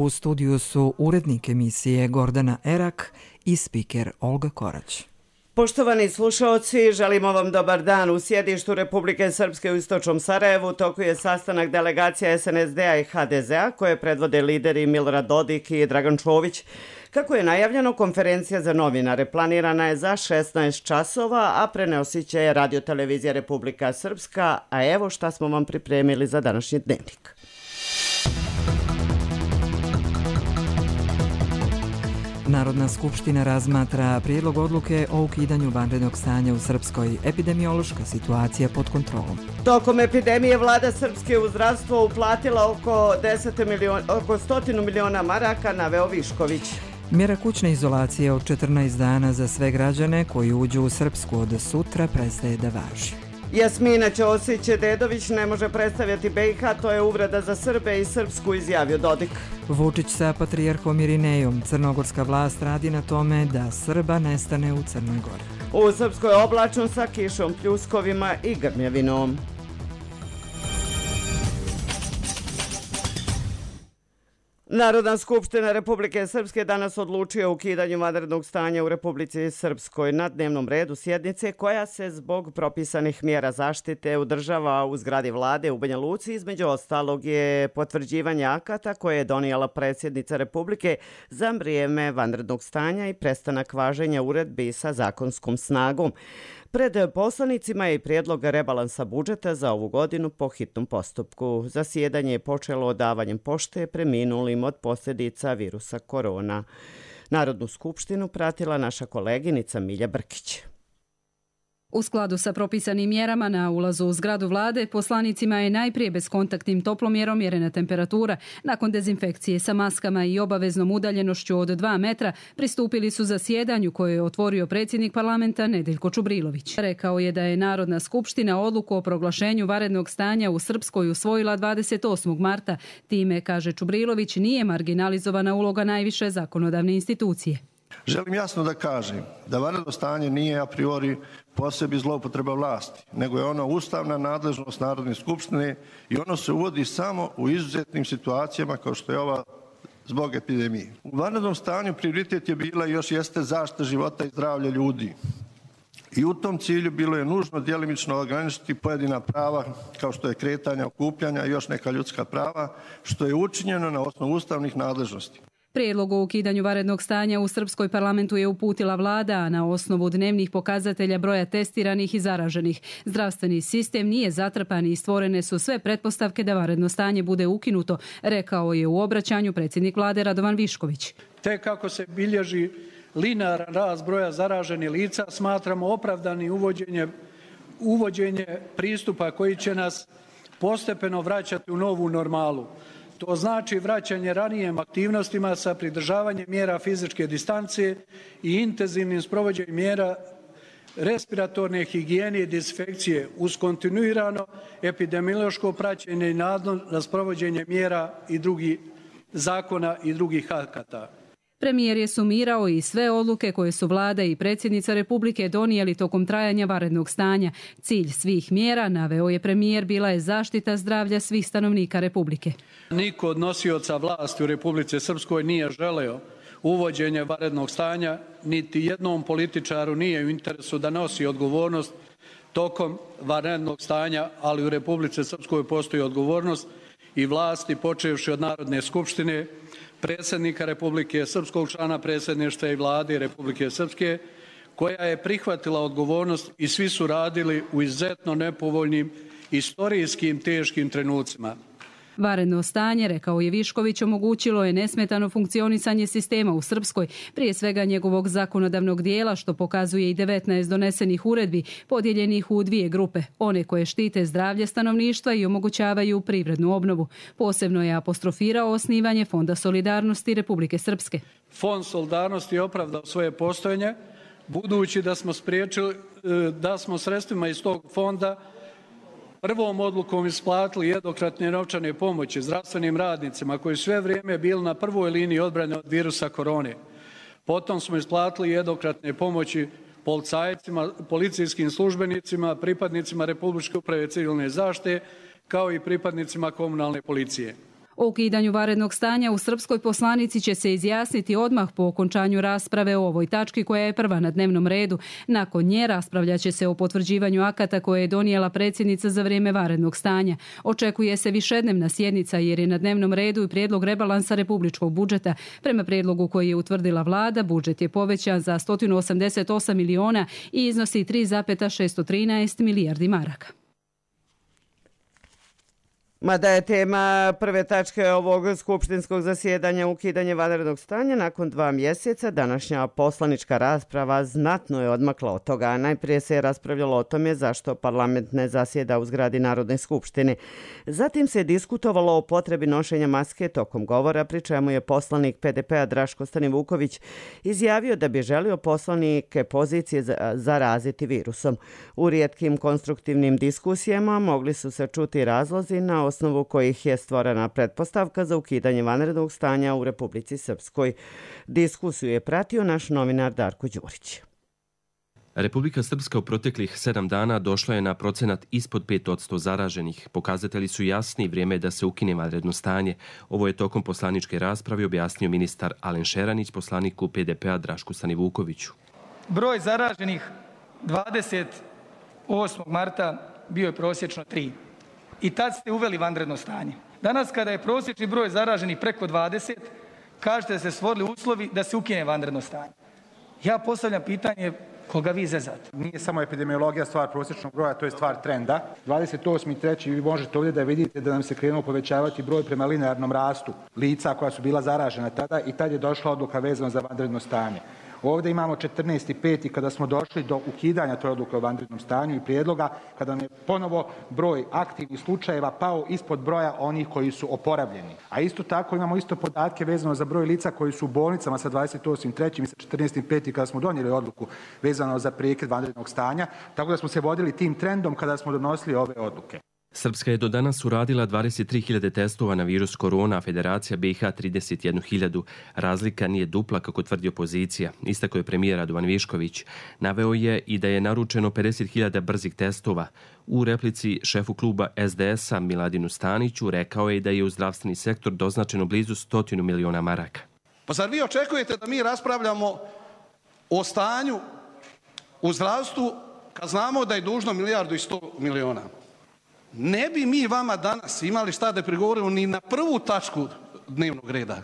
U studiju su urednik emisije Gordana Erak i spiker Olga Korać. Poštovani slušaoci, želimo vam dobar dan. U sjedištu Republike Srpske u istočnom Sarajevu toku je sastanak delegacija SNSD-a i HDZ-a koje predvode lideri Milorad Dodik i Dragan Čović. Kako je najavljeno, konferencija za novinare planirana je za 16 časova, a prenosit će Radio-televizija Republika Srpska, a evo šta smo vam pripremili za današnji dnevnik. Narodna skupština razmatra prijedlog odluke o ukidanju vanrednog stanja u Srpskoj. Epidemiološka situacija pod kontrolom. Tokom epidemije vlada Srpske u zdravstvo uplatila oko 100 miliona maraka, naveo Višković. Mjera kućne izolacije od 14 dana za sve građane koji uđu u Srpsku od sutra prestaje da važi. Jasmina Ćosić-Dedović ne može predstavljati BiH, to je uvreda za Srbe i Srpsku, izjavio Dodik. Vučić sa patrijarhom Irinejom. Crnogorska vlast radi na tome da Srba nestane u Crnoj Gori. U Srpskoj oblačno sa kišom, pljuskovima i grmljavinom. Narodna skupština Republike Srpske danas odlučuje o ukidanju vanrednog stanja u Republici Srpskoj. Na dnevnom redu sjednice koja se zbog propisanih mjera zaštite održava u zgradi vlade u Banja Luci, između ostalog je potvrđivanje akata koje je donijela predsjednica Republike za vrijeme vanrednog stanja i prestanak važenja uredbi sa zakonskom snagom. Pred poslanicima je i prijedlog rebalansa budžeta za ovu godinu po hitnom postupku. Zasjedanje je počelo odavanjem pošte preminulim od posljedica virusa korona. Narodnu skupštinu pratila naša koleginica Milja Brkić. U skladu sa propisanim mjerama na ulazu u zgradu vlade, poslanicima je najprije bezkontaktnim toplomjerom mjerena temperatura. Nakon dezinfekcije sa maskama i obaveznom udaljenošću od 2 metra pristupili su zasjedanju koje je otvorio predsjednik parlamenta Nedeljko Čubrilović. Rekao je da je Narodna skupština odluku o proglašenju vanrednog stanja u Srpskoj usvojila 28. marta. Time, kaže Čubrilović, nije marginalizovana uloga najviše zakonodavne institucije. Želim jasno da kažem da vanredno stanje nije a priori po sebi zloupotreba vlasti, nego je ono ustavna nadležnost Narodne skupštine i ono se uvodi samo u izuzetnim situacijama kao što je ova zbog epidemije. U vanrednom stanju prioritet je bila i još jeste zaštita života i zdravlja ljudi. I u tom cilju bilo je nužno djelimično ograničiti pojedina prava kao što je kretanje, okupljanja i još neka ljudska prava, što je učinjeno na osnovu ustavnih nadležnosti. Prijedlog o ukidanju vanrednog stanja u Srpskoj parlamentu je uputila vlada, a na osnovu dnevnih pokazatelja broja testiranih i zaraženih. Zdravstveni sistem nije zatrpan i stvorene su sve pretpostavke da vanredno stanje bude ukinuto, rekao je u obraćanju predsjednik vlade Radovan Višković. Tek kako se bilježi linearan rast broja zaraženih lica, smatramo opravdani uvođenje pristupa koji će nas postepeno vraćati u novu normalu. To znači vraćanje ranijim aktivnostima sa pridržavanjem mjera fizičke distance i intenzivnim sprovođenjem mjera respiratorne higijene i dezinfekcije uz kontinuirano epidemiološko praćenje i nadzor na sprovođenje mjera i drugih zakona i drugih akata. Premijer je sumirao i sve odluke koje su vlada i predsjednica Republike donijeli tokom trajanja vanrednog stanja. Cilj svih mjera, naveo je premijer, bila je zaštita zdravlja svih stanovnika Republike. Niko od nosioca vlasti u Republici Srpskoj nije želeo uvođenje vanrednog stanja, niti jednom političaru nije u interesu da nosi odgovornost tokom vanrednog stanja, ali u Republici Srpskoj postoji odgovornost i vlasti, počevši od Narodne skupštine, predsjednika Republike, srpskog člana predsjedništva i vlade Republike Srpske, koja je prihvatila odgovornost i svi su radili u izuzetno nepovoljnim istorijskim teškim trenucima. Vanredno stanje, rekao je Višković, omogućilo je nesmetano funkcionisanje sistema u Srpskoj, prije svega njegovog zakonodavnog dijela, što pokazuje i 19 donesenih uredbi, podijeljenih u 2 grupe, one koje štite zdravlje stanovništva i omogućavaju privrednu obnovu. Posebno je apostrofirao osnivanje Fonda solidarnosti Republike Srpske. Fond solidarnosti je opravdao svoje postojanje, budući da smo sredstvima iz tog fonda prvom odlukom isplatili jednokratne novčane pomoći zdravstvenim radnicima koji sve vrijeme bili na prvoj liniji odbrane od virusa korone. Potom smo isplatili jednokratne pomoći policajcima, policijskim službenicima, pripadnicima Republičke uprave civilne zaštite, kao i pripadnicima komunalne policije. O ukidanju vanrednog stanja u srpskoj poslanici će se izjasniti odmah po okončanju rasprave o ovoj tački koja je prva na dnevnom redu. Nakon nje raspravljaće se o potvrđivanju akata koje je donijela predsjednica za vrijeme vanrednog stanja. Očekuje se višednevna sjednica jer je na dnevnom redu i prijedlog rebalansa republičkog budžeta. Prema prijedlogu koji je utvrdila vlada, budžet je povećan za 188 miliona i iznosi 3,613 milijardi maraka. Mada je tema prve tačke ovog skupštinskog zasjedanja ukidanje vanrednog stanja, nakon 2 mjeseca današnja poslanička rasprava znatno je odmakla od toga. Najprije se je raspravljalo o tome zašto parlament ne zasjeda u zgradi Narodne skupštine. Zatim se je diskutovalo o potrebi nošenja maske tokom govora, pri čemu je poslanik PDP-a Draško Stanivuković izjavio da bi želio poslanike pozicije zaraziti virusom. U rijetkim konstruktivnim diskusijama mogli su se čuti razlozi na osnovu kojih je stvorena pretpostavka za ukidanje vanrednog stanja u Republici Srpskoj. Diskusiju je pratio naš novinar Darko Đurić. Republika Srpska u proteklih 7 dana došla je na procenat ispod 5% zaraženih. Pokazatelji su jasni, vrijeme je da se ukine vanredno stanje. Ovo je tokom poslaničke rasprave objasnio ministar Alen Šeranić poslaniku PDP-a Drašku Stanivukoviću. Broj zaraženih 28. marta bio je prosječno 3. I tad ste uveli vanredno stanje. Danas kada je prosječni broj zaraženih preko 20, kažete da se stvorili uslovi da se ukine vanredno stanje. Ja postavljam pitanje koga vi zezate. Nije samo epidemiologija stvar prosječnog broja, to je stvar trenda. 28.3. vi možete ovdje da vidite da nam se krenuo povećavati broj prema linearnom rastu lica koja su bila zaražena tada i tad je došla odluka vezana za vanredno stanje. Ovdje imamo 14.5. kada smo došli do ukidanja toj odluke o vanrednom stanju i prijedloga, kada nam je ponovo broj aktivnih slučajeva pao ispod broja onih koji su oporavljeni. A isto tako imamo isto podatke vezano za broj lica koji su u bolnicama sa 28.3. i sa 14.5. kada smo donijeli odluku vezano za prekid vanrednog stanja, tako da smo se vodili tim trendom kada smo donosili ove odluke. Srpska je do danas uradila 23.000 testova na virus korona, a Federacija BiH 31.000. Razlika nije dupla, kako tvrdi opozicija. Istako je premijer Radovan Višković. Naveo je i da je naručeno 50.000 brzih testova. U replici šefu kluba SDS-a Miladinu Staniću rekao je da je u zdravstveni sektor doznačeno blizu 100 miliona maraka. Pa zar vi očekujete da mi raspravljamo o stanju u zdravstvu kad znamo da je dužno 1,1 milijardu? Ne bi mi vama danas imali šta da prigovorimo ni na prvu tačku dnevnog reda,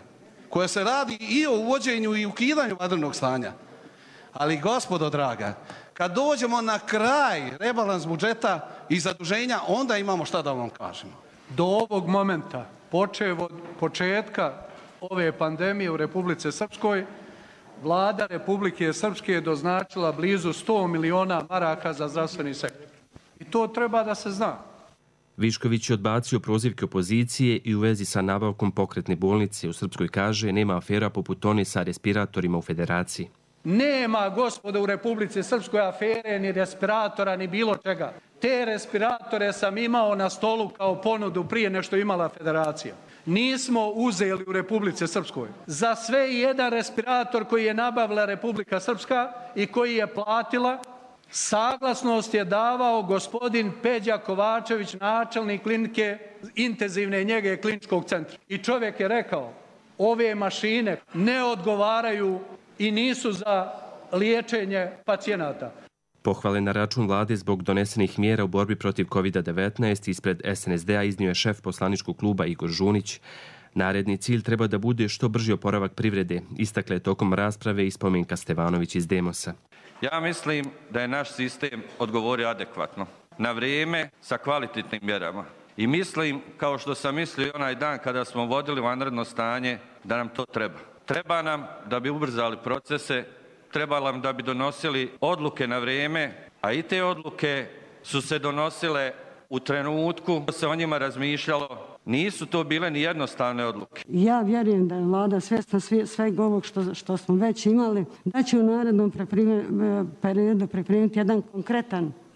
koja se radi i o uvođenju i ukidanju vanrednog stanja. Ali, gospodo draga, kad dođemo na kraj rebalans budžeta i zaduženja, onda imamo šta da vam kažemo. Do ovog momenta, počev od početka ove pandemije u Republici Srpskoj, Vlada Republike Srpske je doznačila blizu 100 miliona maraka za zdravstveni sektor. I to treba da se zna. Višković je odbacio prozivke opozicije i u vezi sa nabavkom pokretne bolnice u Srpskoj kaže nema afera poput one sa respiratorima u Federaciji. Nema, gospodo, u Republici Srpskoj afere, ni respiratora, ni bilo čega. Te respiratore sam imao na stolu kao ponudu prije nešto imala Federacija. Nismo uzeli u Republici Srpskoj. Za sve jedan respirator koji je nabavila Republika Srpska i koji je platila, saglasnost je davao gospodin Peđa Kovačević, načelnik klinike intenzivne njege kliničkog centra. I čovjek je rekao, ove mašine ne odgovaraju i nisu za liječenje pacijenata. Pohvale na račun vlade zbog donesenih mjera u borbi protiv COVID-19 ispred SNSD-a iznio je šef poslaničkog kluba Igor Žunić. Naredni cilj treba da bude što brži oporavak privrede, istakle tokom rasprave i Spomenka Stevanović iz Demosa. Ja mislim da je naš sistem odgovorio adekvatno, na vrijeme, sa kvalitetnim mjerama. I mislim, kao što sam mislio onaj dan kada smo vodili vanredno stanje, da nam to treba. Treba nam da bi ubrzali procese, treba nam da bi donosili odluke na vrijeme, a i te odluke su se donosile u trenutku da se o njima razmišljalo. Nisu to bile ni jednostavne odluke. Ja vjerujem da je vlada svjesna svega ovog što smo već imali, da će u narednom periodu pripremiti jedan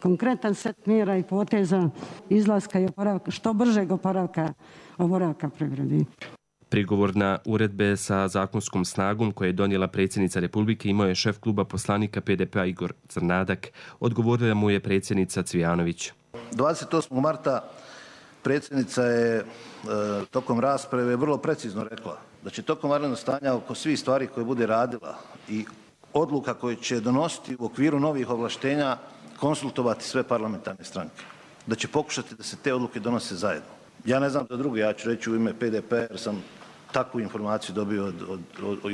konkretan set mjera i poteza izlaska i oporavka, što bržeg oporavka privredi. Prigovor na uredbe sa zakonskom snagom koje je donijela predsjednica Republike imao je šef kluba poslanika PDP-a Igor Crnadak. Odgovorila mu je predsjednica Cvijanović. 28. marta Predsjednica je tokom rasprave vrlo precizno rekla da će tokom vanrednog stanja oko svih stvari koje bude radila i odluka koje će donositi u okviru novih ovlaštenja konsultovati sve parlamentarne stranke. Da će pokušati da se te odluke donose zajedno. Ja ne znam da drugi, ja ću reći u ime PDP jer sam takvu informaciju dobio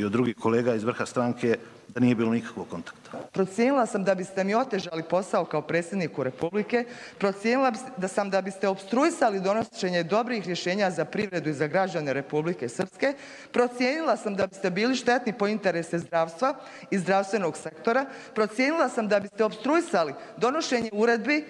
od drugih kolega iz vrha stranke da nije bilo nikakvog kontakta. Procijenila sam da biste mi otežali posao kao predsjedniku Republike, procijenila sam da biste opstruisali donošenje dobrih rješenja za privredu i za građane Republike Srpske, procijenila sam da biste bili štetni po interese zdravstva i zdravstvenog sektora, procijenila sam da biste opstruisali donošenje uredbi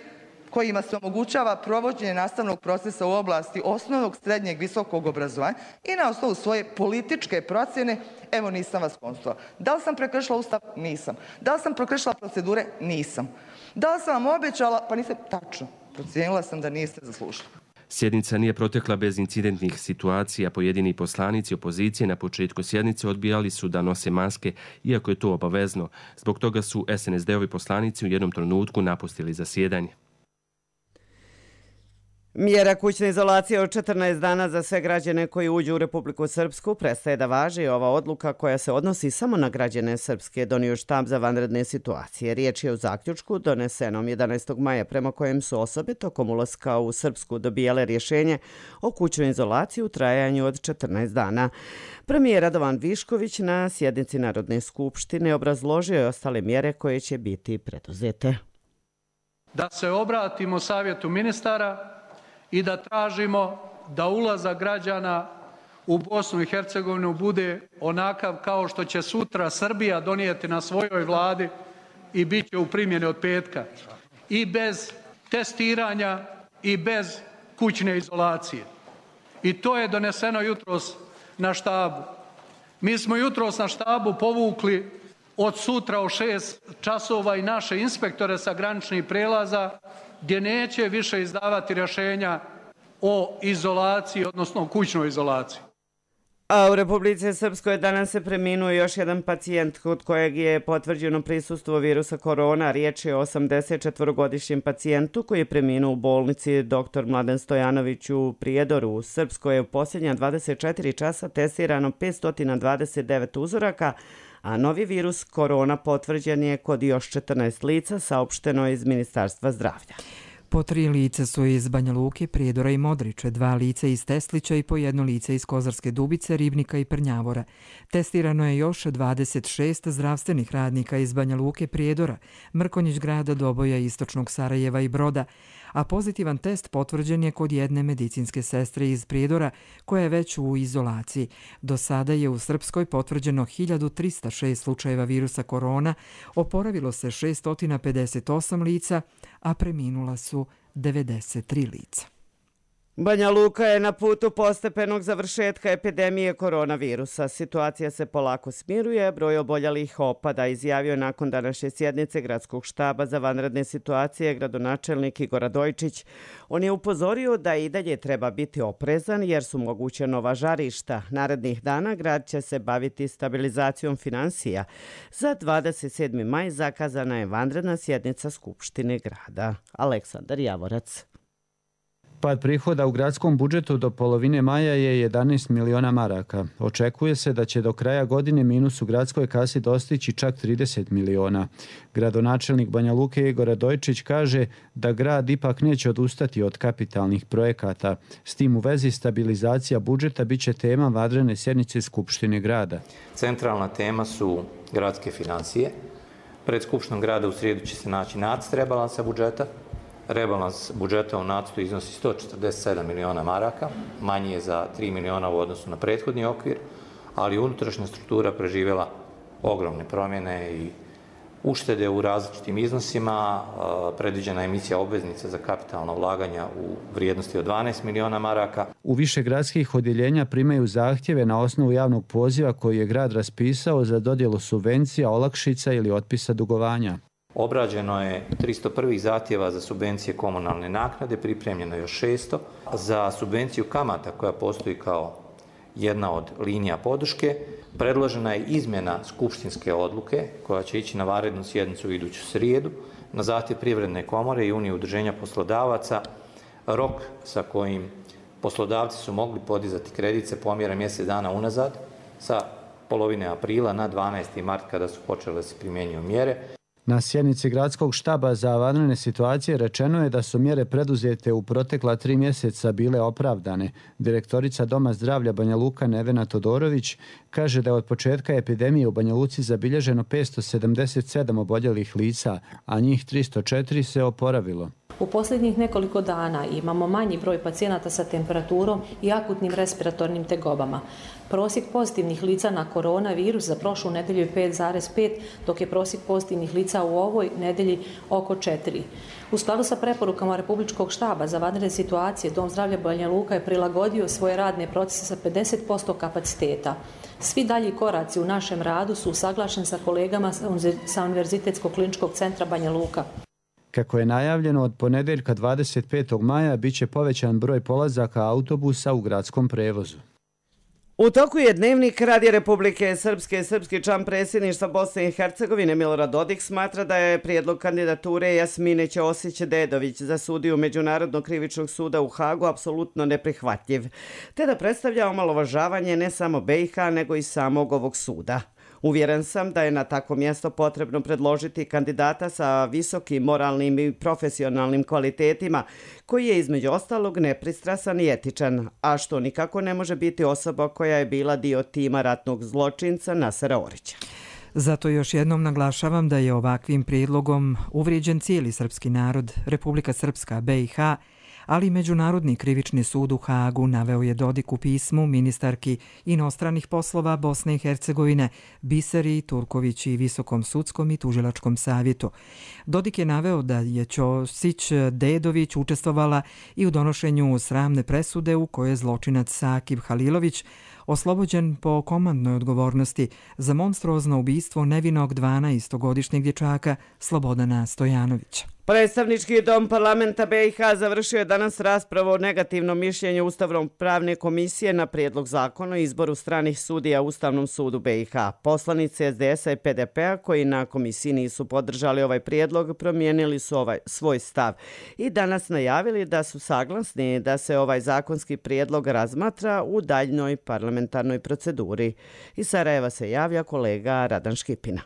kojima se omogućava provođenje nastavnog procesa u oblasti osnovnog, srednjeg, visokog obrazovanja i na osnovu svoje političke procjene, evo nisam vas konsultovala. Da li sam prekršila Ustav? Nisam. Da li sam prekršila procedure? Nisam. Da li sam vam obećala? Pa nisam. Tačno. Procijenila sam da niste zaslužili. Sjednica nije protekla bez incidentnih situacija. Pojedini poslanici opozicije na početku sjednice odbijali su da nose maske, iako je to obavezno. Zbog toga su SNSD-ovi poslanici u jednom trenutku napustili zasjedanje. Mjera kućne izolacije od 14 dana za sve građane koji uđu u Republiku Srpsku prestaje da važi. Ova odluka koja se odnosi samo na građane Srpske donio štab za vanredne situacije. Riječ je o zaključku donesenom 11. maja prema kojem su osobe tokom ulaska u Srpsku dobijale rješenje o kućnoj izolaciji u trajanju od 14 dana. Premijer Radovan Višković na sjednici Narodne skupštine obrazložio je ostale mjere koje će biti preduzete. Da se obratimo Savjetu ministara i da tražimo da ulazak građana u Bosnu i Hercegovinu bude onakav kao što će sutra Srbija donijeti na svojoj vladi i bit će u primjeni od petka. I bez testiranja i bez kućne izolacije. I to je doneseno jutros na štabu. Mi smo jutros na štabu povukli od sutra u 6 časova i naše inspektore sa graničnih prelaza gdje neće više izdavati rješenja o izolaciji, odnosno kućnoj izolaciji. A u Republici Srpskoj danas se preminuo još jedan pacijent kod kojeg je potvrđeno prisustvo virusa korona. Riječ je o 84-godišnjem pacijentu koji je preminuo u bolnici dr. Mladen Stojanović u Prijedoru. U Srpskoj je u posljednja 24 časa testirano 529 uzoraka, a novi virus korona potvrđen je kod još 14 lica, saopšteno iz Ministarstva zdravlja. Po 3 lica su iz Banja Luke, Prijedora i Modriče, 2 lica iz Teslića i po 1 lice iz Kozarske Dubice, Ribnika i Prnjavora. Testirano je još 26 zdravstvenih radnika iz Banja Luke, Prijedora, Mrkonjić grada, Doboja, Istočnog Sarajeva i Broda, a pozitivan test potvrđen je kod jedne medicinske sestre iz Prijedora koja je već u izolaciji. Do sada je u Srpskoj potvrđeno 1306 slučajeva virusa korona, oporavilo se 658 lica, a preminula su 93 lica. Banja Luka je na putu postepenog završetka epidemije koronavirusa. Situacija se polako smiruje, broj oboljelih opada, izjavio je nakon današnje sjednice Gradskog štaba za vanredne situacije gradonačelnik Igor Radojčić. On je upozorio da i dalje treba biti oprezan jer su moguće nova žarišta. Narednih dana grad će se baviti stabilizacijom finansija. Za 27. maj zakazana je vanredna sjednica Skupštine grada. Aleksandar Javorac. Pad prihoda u gradskom budžetu do polovine maja je 11 miliona maraka. Očekuje se da će do kraja godine minus u gradskoj kasi dostići čak 30 miliona. Gradonačelnik Banja Luke Igor Radojčić kaže da grad ipak neće odustati od kapitalnih projekata. S tim u vezi stabilizacija budžeta biće tema vanredne sjednice Skupštine grada. Centralna tema su gradske financije. Pred Skupštinom grada u srijedu će se naći nacrt rebalansa budžeta. Rebalans budžeta u nacrtu iznosi 147 miliona maraka, manji je za 3 miliona u odnosu na prethodni okvir, ali unutrašnja struktura preživjela ogromne promjene i uštede u različitim iznosima. Predviđena emisija obveznica za kapitalna ulaganja u vrijednosti od 12 miliona maraka. U više gradskih odjeljenja primaju zahtjeve na osnovu javnog poziva koji je grad raspisao za dodjelu subvencija, olakšica ili otpisa dugovanja. Obrađeno je 301 zahtjeva za subvencije komunalne naknade, pripremljeno je još 600. Za subvenciju kamata koja postoji kao jedna od linija podrške, predložena je izmjena skupštinske odluke koja će ići na vanrednu sjednicu iduću srijedu. Na zahtjev Privredne komore i Unije udruženja poslodavaca Rok sa kojim poslodavci su mogli podizati kredit se pomjera mjesec dana unazad sa polovine aprila na 12. mart kada su počele da se primjenjuju mjere. Na sjednici gradskog štaba za vanredne situacije rečeno je da su mjere preduzete u protekla 3 mjeseca bile opravdane. Direktorica Doma zdravlja Banja Luka Nevena Todorović kaže da je od početka epidemije u Banja Luci zabilježeno 577 oboljelih lica, a njih 304 se oporavilo. U posljednjih nekoliko dana imamo manji broj pacijenata sa temperaturom i akutnim respiratornim tegobama. Prosjek pozitivnih lica na koronavirus za prošlu nedelju je 5,5, dok je prosjek pozitivnih lica u ovoj nedelji oko 4. U skladu sa preporukama Republičkog štaba za vanredne situacije, Dom zdravlja Banja Luka je prilagodio svoje radne procese sa 50% kapaciteta. Svi dalji koraci u našem radu su usaglašeni sa kolegama sa Univerzitetskog kliničkog centra Banja Luka. Kako je najavljeno, od ponedjeljka 25. maja bit će povećan broj polazaka autobusa u gradskom prevozu. U toku je Dnevnik Radija Republike Srpske. Srpski član predsjedništva Bosne i Hercegovine Milorad Dodik smatra da je prijedlog kandidature Jasmine Ćosić-Dedović za sudiju Međunarodnog krivičnog suda u Hagu apsolutno neprihvatljiv, te da predstavlja omalovažavanje ne samo BiH nego i samog ovog suda. Uvjeren sam da je na takvo mjesto potrebno predložiti kandidata sa visokim moralnim i profesionalnim kvalitetima, koji je između ostalog nepristrasan i etičan, a što nikako ne može biti osoba koja je bila dio tima ratnog zločinca Nasera Orića. Zato još jednom naglašavam da je ovakvim prijedlogom uvrijeđen cijeli srpski narod, Republika Srpska, BiH, ali Međunarodni krivični sud u Hagu, naveo je Dodik u pismu ministarki inostranih poslova Bosne i Hercegovine Biseri Turković i Visokom sudskom i tužilačkom savjetu. Dodik je naveo da je Ćosić-Dedović učestvovala i u donošenju sramne presude u kojoj je zločinac Sakib Halilović oslobođen po komandnoj odgovornosti za monstruozno ubistvo nevinog 12-godišnjeg dječaka Slobodana Stojanovića. Predstavnički dom parlamenta BiH završio je danas raspravu o negativnom mišljenju Ustavno-pravne komisije na prijedlog zakona o izboru stranih sudija u Ustavnom sudu BiH. Poslanici SDS-a i PDP-a koji na komisiji nisu podržali ovaj prijedlog promijenili su svoj stav i danas najavili da su saglasni da se ovaj zakonski prijedlog razmatra u daljnjoj parlamentarnoj proceduri. Iz Sarajeva se javlja kolega Radan Škipina.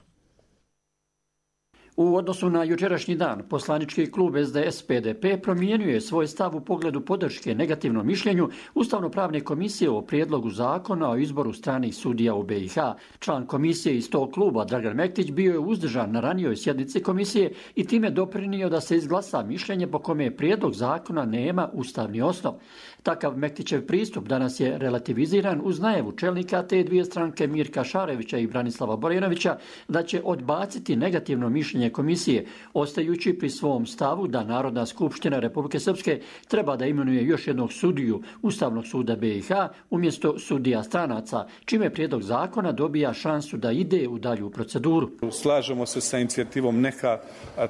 U odnosu na jučerašnji dan, poslanički klub SDS-PDP promijenio je svoj stav u pogledu podrške negativnom mišljenju Ustavno-pravne komisije o prijedlogu zakona o izboru stranih sudija u BiH. Član komisije iz tog kluba, Dragan Mektić, bio je uzdržan na ranijoj sjednici komisije i time doprinio da se izglasa mišljenje po kome prijedlog zakona nema ustavni osnov. Takav Mektićev pristup danas je relativiziran uz najavu čelnika te dvije stranke Mirka Šarevića i Branislava Borjanovića da će odbaciti negativno mišljenje komisije, ostajući pri svom stavu da Narodna skupština Republike Srpske treba da imenuje još jednog sudiju Ustavnog suda BiH umjesto sudija stranaca, čime prijedlog zakona dobija šansu da ide u dalju proceduru. Slažemo se sa inicijativom neka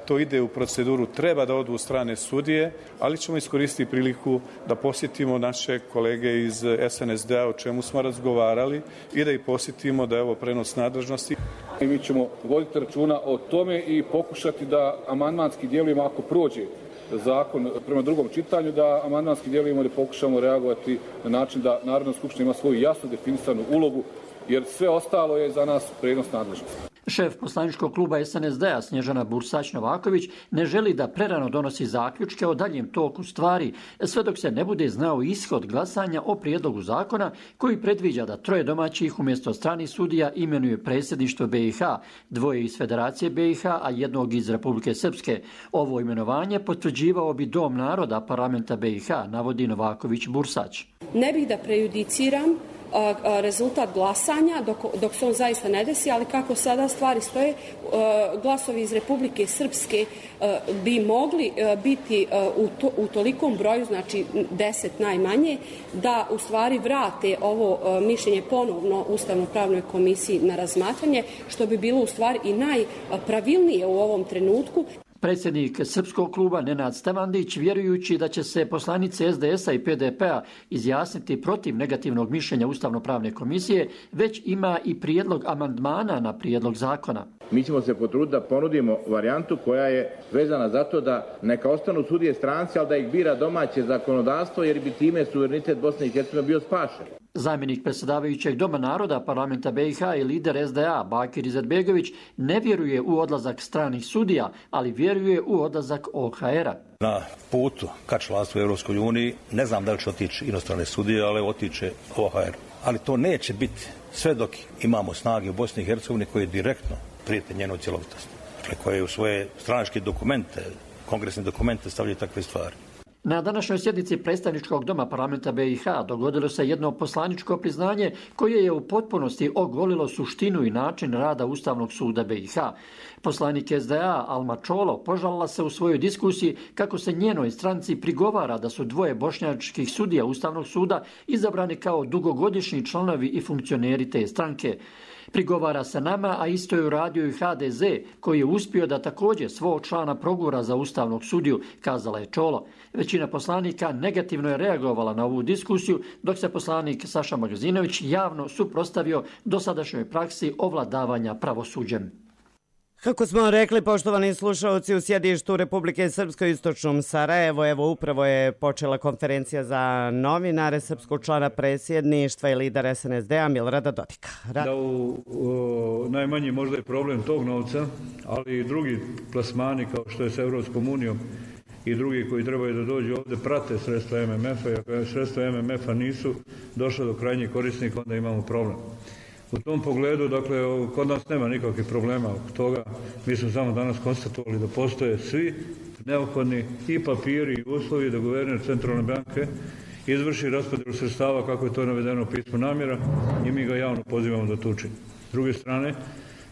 to ide u proceduru, treba da odu strane sudije, ali ćemo iskoristiti priliku da posjetimo naše kolege iz SNSD-a o čemu smo razgovarali i da ih posjetimo da je ovo prenos nadležnosti. I mi ćemo voditi računa o tome i pokušati da amandmanski djelujemo ako prođe zakon prema drugom čitanju, da amandmanski djelujemo da pokušamo reagovati na način da Narodna skupština ima svoju jasno definisanu ulogu, jer sve ostalo je za nas prenos nadležnosti. Šef poslaničkog kluba SNSD-a Snježana Bursać-Novaković ne želi da prerano donosi zaključke o daljem toku stvari, sve dok se ne bude znao ishod glasanja o prijedlogu zakona koji predviđa da 3 domaćih umjesto stranih sudija imenuje predsjedništvo BiH, 2 iz Federacije BiH, a 1 iz Republike Srpske. Ovo imenovanje potvrđivao bi Dom naroda parlamenta BiH, navodi Novaković-Bursać. Ne bih da prejudiciram rezultat glasanja dok se on zaista ne desi, ali kako sada stvari stoje, glasovi iz Republike Srpske bi mogli biti u tolikom broju, znači 10 najmanje, da u stvari vrate ovo mišljenje ponovno Ustavno-pravnoj komisiji na razmatranje, što bi bilo u stvari i najpravilnije u ovom trenutku. Predsjednik Srpskog kluba Nenad Stevandić, vjerujući da će se poslanici SDS-a i PDP-a izjasniti protiv negativnog mišljenja Ustavno-pravne komisije, već ima i prijedlog amandmana na prijedlog zakona. mi ćemo se potruditi da ponudimo varijantu koja je vezana za to da neka ostanu sudije stranci, ali da ih bira domaće zakonodavstvo, jer bi time suverenitet Bosne i Hercegovine bio spašen. Zamjenik predsjedavajućeg Doma naroda parlamenta BiH i lider SDA Bakir Izetbegović ne vjeruje u odlazak stranih sudija, ali vjeruje u odlazak OHR-a. Na putu ka članstvu u Europskoj uniji ne znam da li će otići inostrane sudije, ali otiće OHR. Ali to neće biti sve dok imamo snage u Bosni i Hercegovini koje direktno prijete njenoj cjelovitosti. Dakle, koje u svoje stranačke dokumente, kongresne dokumente stavljaju takve stvari. Na današnjoj sjednici predstavničkog doma parlamenta BiH dogodilo se jedno poslaničko priznanje koje je u potpunosti ogolilo suštinu i način rada Ustavnog suda BiH. Poslanik SDA Alma Čolo požalila se u svojoj diskusiji kako se njenoj stranci prigovara da su dvoje bošnjačkih sudija Ustavnog suda izabrani kao dugogodišnji članovi i funkcioneri te stranke. Prigovara se nama, a isto je uradio i HDZ, koji je uspio da također svog člana progura za Ustavnog sudiju, kazala je Čolo. Većina poslanika negativno je reagovala na ovu diskusiju, dok se poslanik Saša Magazinović javno suprotstavio dosadašnjoj praksi ovladavanja pravosuđem. Kako smo rekli, poštovani slušalci, u sjedištu Republike Srpske u istočnom Sarajevo, evo upravo je počela konferencija za novinare srpskog člana predsjedništva i lidera SNSD-a Milorada Dodika. Da u najmanji možda je problem tog novca, ali i drugi plasmani kao što je s Evropskom unijom i drugi koji trebaju da dođu ovdje prate sredstva MMF-a, i ako sredstva MMF-a nisu došla do krajnjih korisnika, onda imamo problem. U tom pogledu, dakle, kod nas nema nikakvih problema oko toga. Mi smo samo danas konstatovali da postoje svi neophodni i papiri i uslovi da guverner Centralne banke izvrši raspodjelu sredstava kako je to navedeno u pismu namjera i mi ga javno pozivamo da to učini. S druge strane,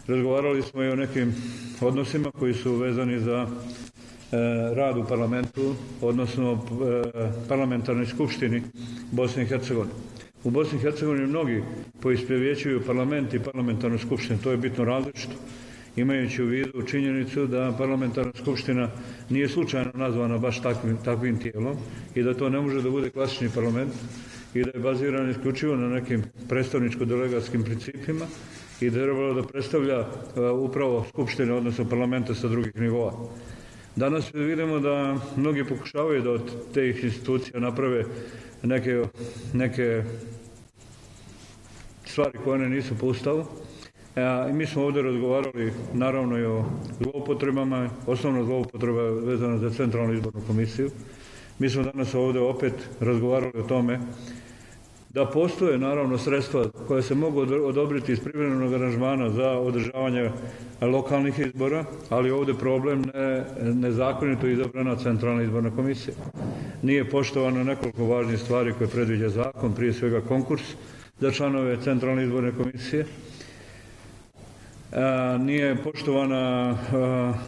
razgovarali smo i o nekim odnosima koji su vezani za rad u parlamentu, odnosno parlamentarnoj skupštini Bosne i Hercegovine. U Bosni i Hercegovini mnogi poistovjećuju parlament i parlamentarnu skupštinu. To je bitno različito, imajući u vidu činjenicu da parlamentarna skupština nije slučajno nazvana baš takvim tijelom i da to ne može da bude klasični parlament i da je baziran isključivo na nekim predstavničko-delegatskim principima i da je trebalo da predstavlja upravo skupštine, odnosno parlamente sa drugih nivoa. Danas vidimo da mnogi pokušavaju da od tih institucija naprave neke stvari koje one nisu po Ustavu. I mi smo ovdje razgovarali naravno i o zloupotrebama, osnovna zloupotreba vezana za Centralnu izbornu komisiju. Mi smo danas ovdje opet razgovarali o tome da postoje naravno sredstva koja se mogu odobriti iz privremenog aranžmana za održavanje lokalnih izbora, ali ovdje problem nezakonito izabrana Centralna izborna komisija. Nije poštovano nekoliko važnih stvari koje predviđa zakon, prije svega konkurs za članove Centralne izborne komisije. Nije poštovana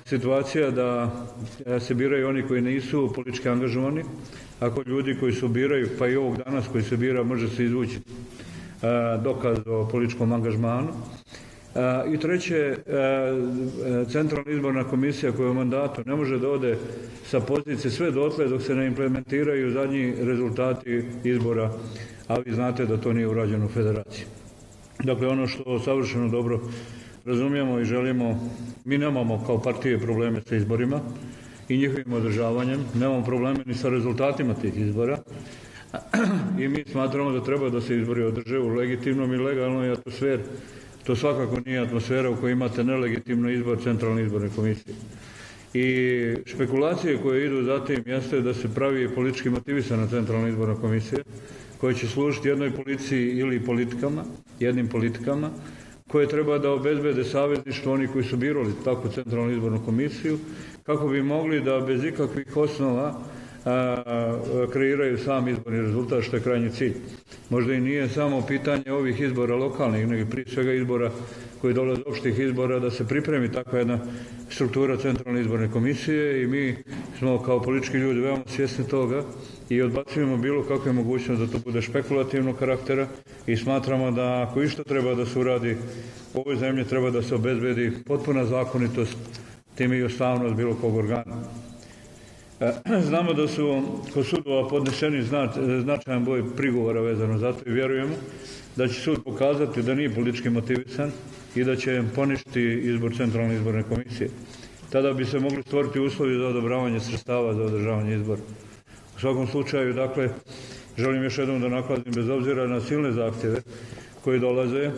situacija da se biraju oni koji nisu politički angažovani. Ako ljudi koji se biraju, pa i ovog danas koji se bira, može se izvući dokaz o političkom angažmanu. I treće, Centralna izborna komisija koja je u mandatu ne može da ode sa pozicije sve dotle dok se ne implementiraju zadnji rezultati izbora, a vi znate da to nije urađeno u federaciji. Dakle, ono što savršeno dobro razumijemo i želimo, mi nemamo kao partije probleme sa izborima i njihovim održavanjem, nemamo probleme ni sa rezultatima tih izbora i mi smatramo da treba da se izbori održe u legitimnom i legalnoj atmosferi. To svakako nije atmosfera u kojoj imate nelegitimno izbor Centralne izborne komisije. I špekulacije koje idu za tim jeste da se pravi politički motivisana Centralna izborna komisija koja će služiti jednoj policiji ili politikama, jednim politikama, koje treba da obezbede savezništvo oni koji su birali takvu Centralnu izbornu komisiju, kako bi mogli da bez ikakvih osnova kreiraju sam izborni rezultat, što je krajnji cilj. Možda i nije samo pitanje ovih izbora lokalnih, nego prije svega izbora koji dolaze opštih izbora, da se pripremi takva jedna struktura Centralne izborne komisije i mi smo kao politički ljudi veoma svjesni toga i odbacujemo bilo kakve mogućnosti da to bude špekulativnog karaktera i smatramo da ako išta treba da se uradi u ovoj zemlji, treba da se obezbedi potpuna zakonitost, tim i ustavnost bilo kog organa. Znamo da su kod sudova podneseni značajan broj prigovora vezano za to i vjerujemo da će sud pokazati da nije politički motivisan i da će poništiti izbor Centralne izborne komisije. Tada bi se mogli stvoriti uslovi za odobravanje sredstava za održavanje izbora. U svakom slučaju, dakle, želim još jednom da naglasim, bez obzira na silne zahtjeve koji dolaze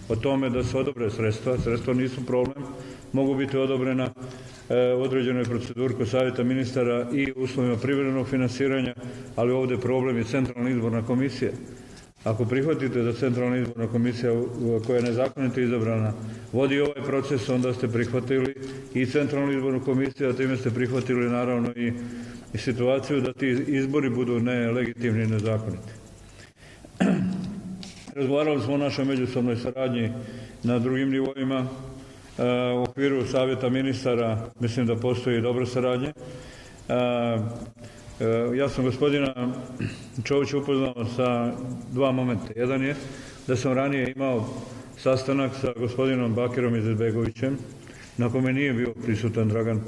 o tome da se odobre sredstva. Sredstva nisu problem, mogu biti odobrena u određenoj proceduri kod Savjeta ministara i uslovima privremenog finansiranja, ali ovdje problem je Centralna izborna komisija. Ako prihvatite da Centralna izborna komisija koja je nezakonito izabrana vodi ovaj proces, onda ste prihvatili i Centralnu izbornu komisiju, a time ste prihvatili naravno i situaciju da ti izbori budu nelegitimni i nezakoniti. Razgovarali smo o našoj međusobnoj saradnji na drugim nivoima. U okviru Savjeta ministara mislim da postoji dobra saradnja. Ja sam gospodina Čovića upoznao sa dva momenta. Jedan je da sam ranije imao sastanak sa gospodinom Bakirom Izetbegovićem, na kome nije bio prisutan Dragan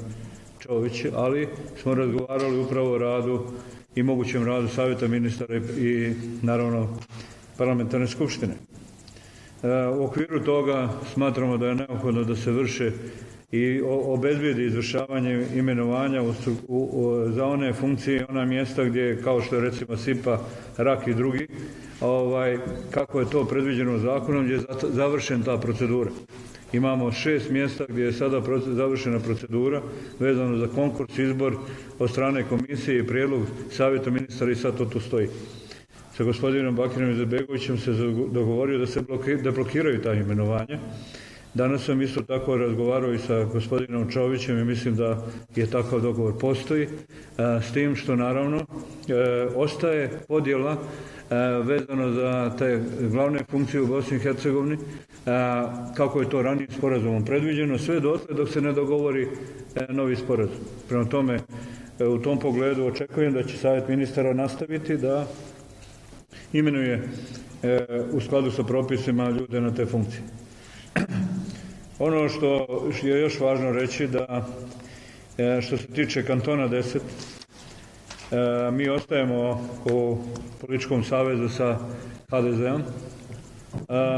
Čović, ali smo razgovarali upravo o radu i mogućem radu Savjeta ministara i naravno parlamentarne skupštine. U okviru toga smatramo da je neophodno da se vrše i obezbijedi izvršavanje imenovanja za one funkcije i ona mjesta gdje, kao što je recimo SIPA, RAK i drugi, kako je to predviđeno zakonom, gdje je završena ta procedura. Imamo 6 mjesta gdje je sada završena procedura vezano za konkurs, izbor od strane komisije i prijedlog Savjeta ministara i sad to tu stoji. Sa gospodinom Bakirom Izetbegovićem se dogovorio da se deblokiraju ta imenovanja. Danas sam isto tako razgovarao i sa gospodinom Čovićem i mislim da je takav dogovor postoji, s tim što naravno ostaje podjela vezano za te glavne funkcije u Bosni i Hercegovini, kako je to ranijim sporazumom predviđeno, sve dotle dok se ne dogovori novi sporazum. Prema tome, u tom pogledu očekujem da će Savjet ministara nastaviti da imenuje u skladu sa propisima ljude na te funkcije. Ono što je još važno reći da što se tiče kantona 10, mi ostajemo u političkom savezu sa HDZ-om,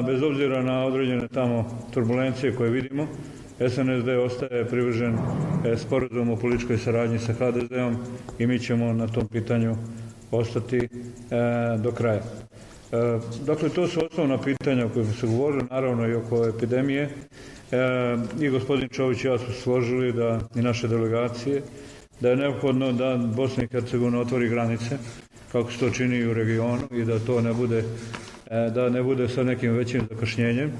bez obzira na određene tamo turbulencije koje vidimo. SNSD ostaje privržen sporazumu o političkoj saradnji sa HDZ-om i mi ćemo na tom pitanju ostati do kraja. Dakle, to su osnovna pitanja o kojima se govorili, naravno i oko epidemije. I gospodin Čović i ja su složili da i naše delegacije da je neophodno da Bosna i Hercegovina otvori granice, kako se to čini i u regionu, i da to ne bude sa nekim većim zakašnjenjem.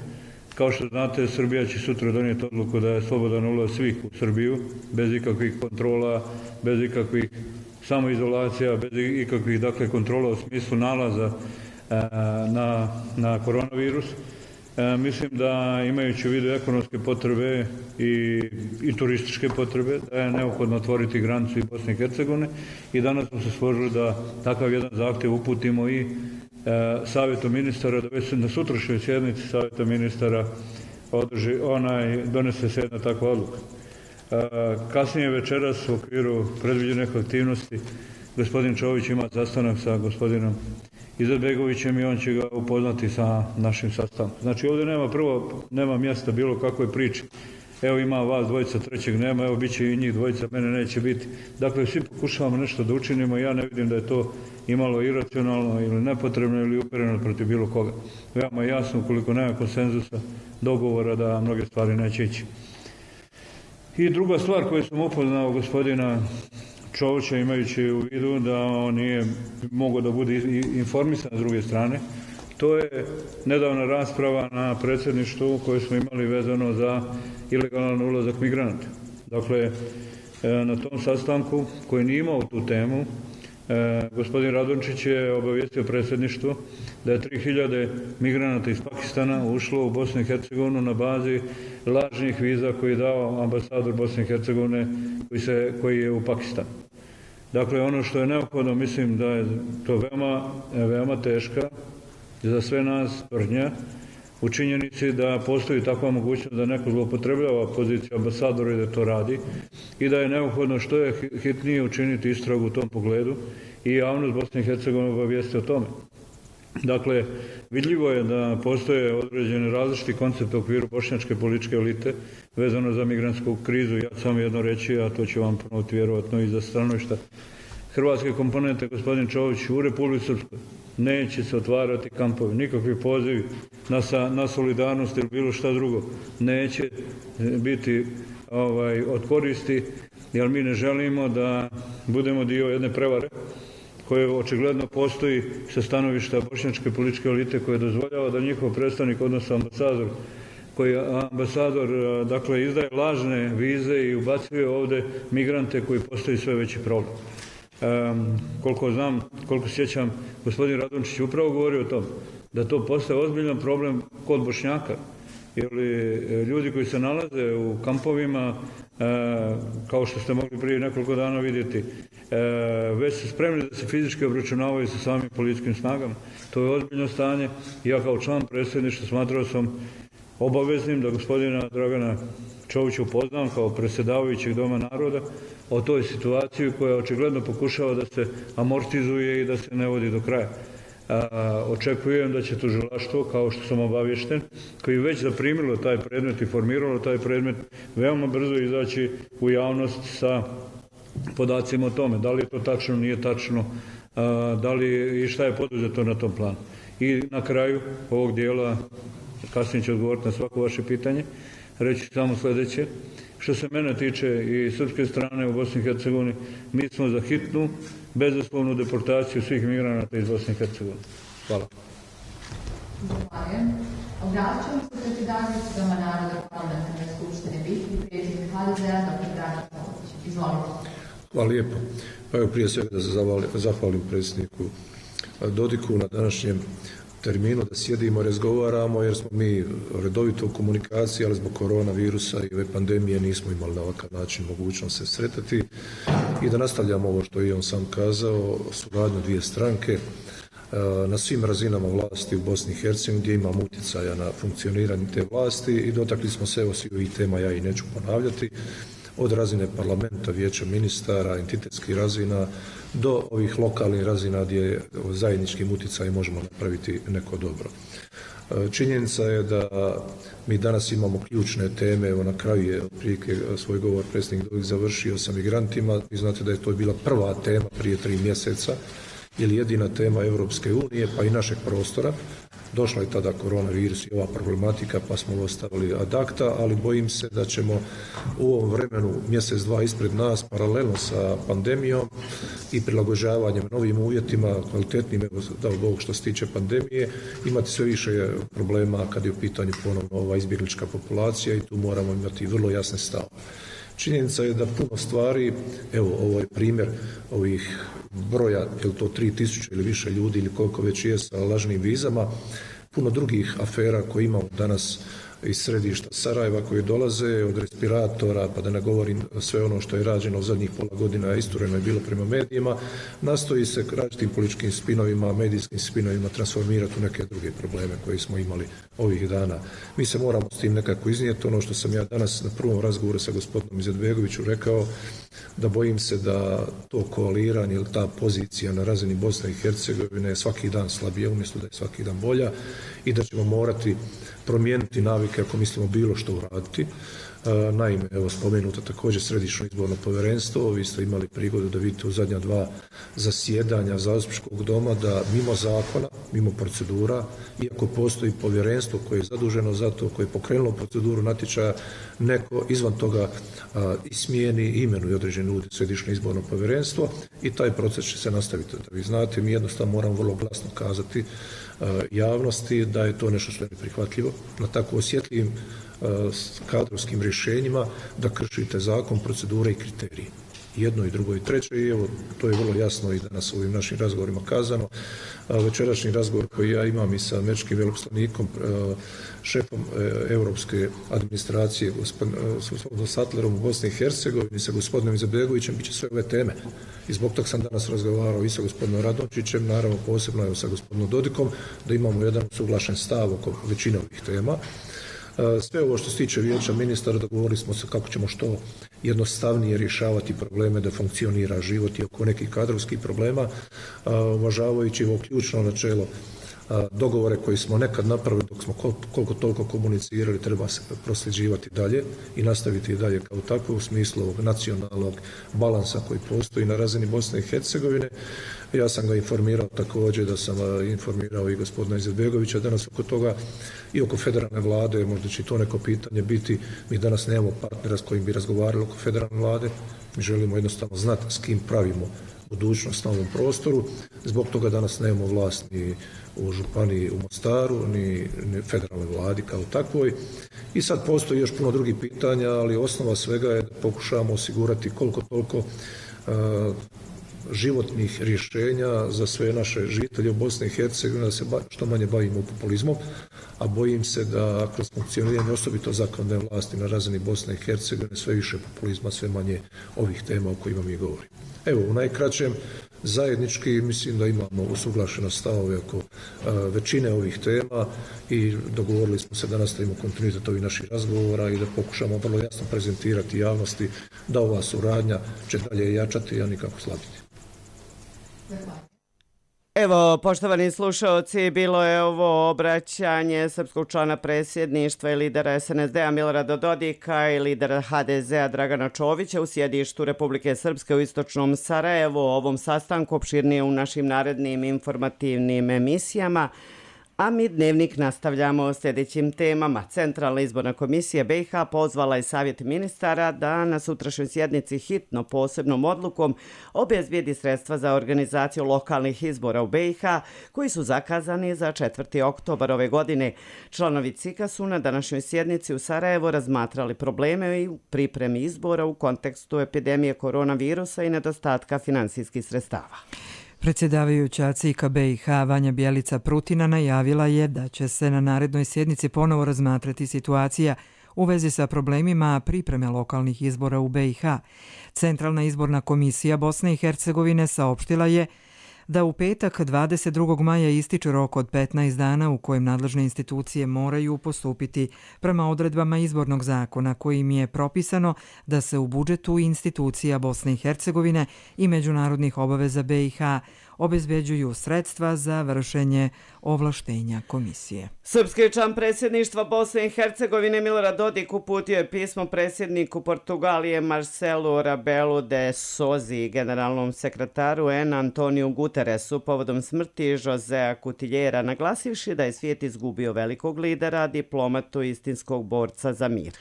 Kao što znate, Srbija će sutra donijeti odluku da je slobodan ulaz svih u Srbiju, bez ikakvih kontrola, bez ikakvih samoizolacija, bez ikakvih kontrola u smislu nalaza na koronavirus. Mislim da imajući u vidu ekonomske potrebe i turističke potrebe, da je neophodno otvoriti granicu i Bosne i Hercegovine i danas smo se složili da takav jedan zahtjev uputimo i Savjetu ministara, da već na sutrašnjoj sjednici Savjeta ministara donese se jedna takva odluka. Kasnije večeras u okviru predviđenih aktivnosti gospodin Čović ima sastanak sa gospodinom Izetbegovićem i on će ga upoznati sa našim sastankom. Znači ovdje nema mjesta bilo kakvoj priči. Evo ima vas dvojica, trećeg nema, evo bit će i njih dvojica, mene neće biti. Dakle, svi pokušavamo nešto da učinimo i ja ne vidim da je to imalo iracionalno ili nepotrebno ili upereno protiv bilo koga. Veoma jasno, ukoliko nema konsenzusa, dogovora, da mnoge stvari neće ići. I druga stvar koju sam upoznao gospodina Čovića, imajući u vidu da on nije mogao da bude informisan s druge strane, to je nedavna rasprava na predsjedništvu koju smo imali vezano za ilegalan ulazak migranata. Dakle, na tom sastanku koji nije imao tu temu, gospodin Radončić je obavijestio predsjedništvo da je 3000 migranata iz Pakistana ušlo u Bosnu i Hercegovinu na bazi lažnih viza koji je dao ambasador Bosne i Hercegovine koji je u Pakistanu. Dakle, ono što je neophodno, mislim da je to veoma teška za sve nas tvrdnja u činjenici da postoji takva mogućnost da neko zloupotrebljava poziciju ambasadora i da to radi i da je neophodno što je hitnije učiniti istragu u tom pogledu i javnost Bosne i Hercegovine obavijesti o tome. Dakle, vidljivo je da postoje određene različiti koncepte u okviru bošnjačke političke elite vezano za migrantsku krizu. Ja ću samo jedno reći, a to ću vam ponoviti vjerovatno i za stanovišta hrvatske komponente, gospodin Čović, u Republici Srpskoj neće se otvarati kampovi, nikakvi pozivi na solidarnost ili bilo šta drugo neće biti od koristi, jer mi ne želimo da budemo dio jedne prevare koje očigledno postoji sa stanovišta bošnjačke političke elite koje dozvoljava da njihov predstavnik, odnosno ambasador, dakle, izdaje lažne vize i ubacuje ovdje migrante koji postaju sve veći problem. Koliko znam, koliko sjećam, gospodin Radončić upravo govori o tom, da to postaje ozbiljan problem kod Bošnjaka. Jer ljudi koji se nalaze u kampovima, kao što ste mogli prije nekoliko dana vidjeti, već su spremni da se fizički obračunavaju sa samim policijskim snagama. To je ozbiljno stanje. Ja kao član predsjedništva smatrao sam obaveznim da gospodina Dragana Čovića upoznam kao predsjedavajućeg Doma naroda o toj situaciji koja očigledno pokušava da se amortizuje i da se ne vodi do kraja. Očekujem da će tužilaštvo, kao što sam obavješten, koji već zaprimilo taj predmet i formiralo taj predmet, veoma brzo izaći u javnost sa podacima o tome. Da li je to tačno, nije tačno, da li i šta je poduzeto na tom planu. I na kraju ovog dijela, kasnije ću odgovoriti na svako vaše pitanje, reći samo sljedeće. Što se mene tiče i srpske strane u Bosni i Hercegovini, mi smo za hitnu, bezuslovnu deportaciju svih migranata iz Bosne i Hercegovine. Hvala. Zahvaljujem. Obraćam se predsjedavajući Doma naroda Parlamentarne skupštine BiH i predsjednik HDZ-a dr. Dragan Čović. Izvolite. Hvala lijepo. Evo prije svega da se zahvalim predsjedniku Dodiku na današnjem terminu, da sjedimo, razgovaramo, jer smo mi redovito u komunikaciji, ali zbog koronavirusa i ove pandemije nismo imali na ovakav način mogućnost se sretati i da nastavljamo ovo što je on sam kazao, suradnju dvije stranke na svim razinama vlasti u Bosni i Hercegovini gdje imamo utjecaja na funkcioniranje te vlasti i dotakli smo se svih ovih tema, ja i neću ponavljati, od razine parlamenta, vijeća ministara, entitetskih razina do ovih lokalnih razina gdje zajedničkim utjecajem možemo napraviti neko dobro. Činjenica je da mi danas imamo ključne teme, evo na kraju je otprilike svoj govor predsjednik Dodik završio sa migrantima, vi znate da je to bila prva tema prije 3 mjeseca, ili jedina tema Europske unije pa i našeg prostora. Došla je tada koronavirus i ova problematika pa smo ostavili ad acta, ali bojim se da ćemo u ovom vremenu mjesec, dva ispred nas paralelno sa pandemijom i prilagođavanjem novim uvjetima, kvalitetnim, evo dao Bog što se tiče pandemije, imati sve više problema kad je u pitanju ponovno ova izbjeglička populacija i tu moramo imati vrlo jasne stavove. Činjenica je da puno stvari, evo ovo je primjer ovih broja, je li to 3000 ili više ljudi ili koliko već je sa lažnim vizama, puno drugih afera koje imamo danas iz središta Sarajeva koji dolaze od respiratora, pa da ne govorim sve ono što je rađeno u zadnjih pola godina, istureno je bilo prema medijima, nastoji se različitim političkim spinovima, medijskim spinovima transformirati u neke druge probleme koje smo imali ovih dana. Mi se moramo s tim nekako iznijeti, ono što sam ja danas na prvom razgovoru sa gospodinom Izetbegoviću rekao, da bojim se da to koaliranje ili ta pozicija na razini Bosne i Hercegovine je svaki dan slabija umjesto da je svaki dan bolja i da ćemo morati promijeniti navike ako mislimo bilo što uraditi. Naime, evo spomenuto također Središnje izborno povjerenstvo, vi ste imali prigodu da vidite u zadnja 2 zasjedanja Zastupničkog doma da mimo zakona, mimo procedura, iako postoji povjerenstvo koje je zaduženo za to, koje je pokrenulo proceduru natječaja, neko izvan toga smijeni i imenuje određene ljudi Središnje izborno povjerenstvo i taj proces će se nastaviti. Da vi znate, mi jednostavno moramo vrlo glasno kazati javnosti da je to nešto što je neprihvatljivo na tako osjetljivim kadrovskim rješenjima da kršite zakon, procedure i kriterije. Jedno i drugo i treće i evo to je vrlo jasno i danas u ovim našim razgovorima kazano. Večerašnji razgovor koji ja imam i sa američkim veleposlanikom, šefom europske administracije, gospodinom Sattlerom u Bosni i Hercegovini, sa gospodinom Izetbegovićem, bit će sve ove teme. I zbog toga sam danas razgovarao i sa gospodinom Radončićem, naravno posebno i sa gospodinom Dodikom, da imamo jedan usuglašen stav oko većine ovih tema. Sve ovo što se tiče vijeća ministara, dogovorili smo se kako ćemo što jednostavnije rješavati probleme da funkcionira život i oko nekih kadrovskih problema, uvažavajući ovo ključno načelo dogovore koje smo nekad napravili dok smo koliko toliko komunicirali treba se prosljeđivati dalje i nastaviti i dalje kao takvo u smislu ovog nacionalnog balansa koji postoji na razini Bosne i Hercegovine. Ja sam ga informirao također da sam informirao i gospodina Izetbegovića danas oko toga i oko federalne vlade, možda će to neko pitanje biti. Mi danas nemamo partnera s kojim bi razgovarali oko federalne vlade, mi želimo jednostavno znati s kim pravimo budućnost na ovom prostoru. Zbog toga danas nemamo vlast ni u županiji u Mostaru, ni federalnoj vladi kao takvoj. I sad postoji još puno drugih pitanja, ali osnova svega je da pokušamo osigurati koliko toliko životnih rješenja za sve naše žitelje u Bosni i Hercegovini, da se što manje bavimo populizmom, a bojim se da kroz funkcioniranje osobito zakonodavne vlasti na razini Bosne i Hercegovine sve više populizma, sve manje ovih tema o kojima mi govorimo. Evo, u najkraćem, zajednički mislim da imamo usuglašeno stavove oko većine ovih tema i dogovorili smo se da nastavimo kontinuitet ovih naših razgovora i da pokušamo vrlo jasno prezentirati javnosti da ova suradnja će dalje jačati, a nikako slabiti. Evo, poštovani slušalci, bilo je ovo obraćanje srpskog člana predsjedništva i lidera SNSD-a Milorada Dodika i lidera HDZ-a Dragana Čovića u sjedištu Republike Srpske u istočnom Sarajevu. O ovom sastanku opširnije u našim narednim informativnim emisijama. A mi dnevnik nastavljamo sljedećim temama. Centralna izborna komisija BiH pozvala je Savjet ministara da na sutrašnjoj sjednici hitno posebnom odlukom obezbijedi sredstva za organizaciju lokalnih izbora u BiH koji su zakazani za 4. oktobar ove godine. Članovi CIK-a su na današnjoj sjednici u Sarajevu razmatrali probleme i pripremi izbora u kontekstu epidemije koronavirusa i nedostatka finansijskih sredstava. Predsjedavajuća CIK-a BiH Vanja Bjelica Prutina najavila je da će se na narednoj sjednici ponovo razmatrati situacija u vezi sa problemima pripreme lokalnih izbora u BiH. Centralna izborna komisija Bosne i Hercegovine saopštila je da u petak 22. maja ističe rok od 15 dana u kojem nadležne institucije moraju postupiti prema odredbama izbornog zakona kojim je propisano da se u budžetu institucija Bosne i Hercegovine i međunarodnih obaveza BiH obezbeđuju sredstva za vršenje ovlaštenja komisije. Srpski član predsjedništva Bosne i Hercegovine Milorad Dodik uputio je pismo predsjedniku Portugalije Marcelu Rebelu de Sousa i generalnom sekretaru UN Antoniju Guterresu povodom smrti Josea Cutiljera, naglasivši da je svijet izgubio velikog lidera, diplomatu i istinskog borca za mir.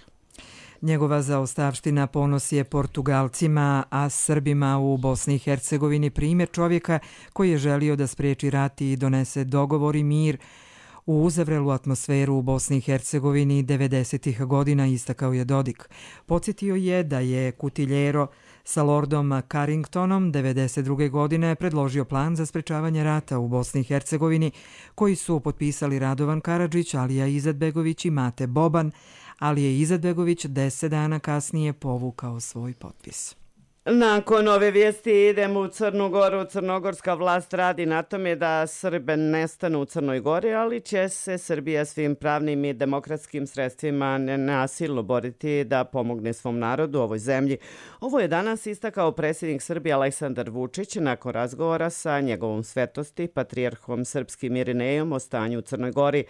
Njegova zaostavština ponos je Portugalcima, a Srbima u Bosni i Hercegovini primjer čovjeka koji je želio da spriječi rat i donese dogovor i mir u uzavrelu atmosferu u Bosni i Hercegovini 90. godina, istakao je Dodik. Podsjetio je da je Cutiljero sa Lordom Carringtonom 92. godine predložio plan za sprečavanje rata u Bosni i Hercegovini koji su potpisali Radovan Karadžić, Alija Izetbegović i Mate Boban, ali je Izetbegović 10 dana kasnije povukao svoj potpis. Nakon ove vijesti idemo u Crnu Goru. Crnogorska vlast radi na tome da Srbe nestanu u Crnoj Gori, ali će se Srbija svim pravnim i demokratskim sredstvima nenasilno boriti da pomogne svom narodu u ovoj zemlji. Ovo je danas istakao predsjednik Srbije Aleksandar Vučić nakon razgovora sa njegovom svetosti, patrijarhom srpskim Irinejom o stanju u Crnoj Gori.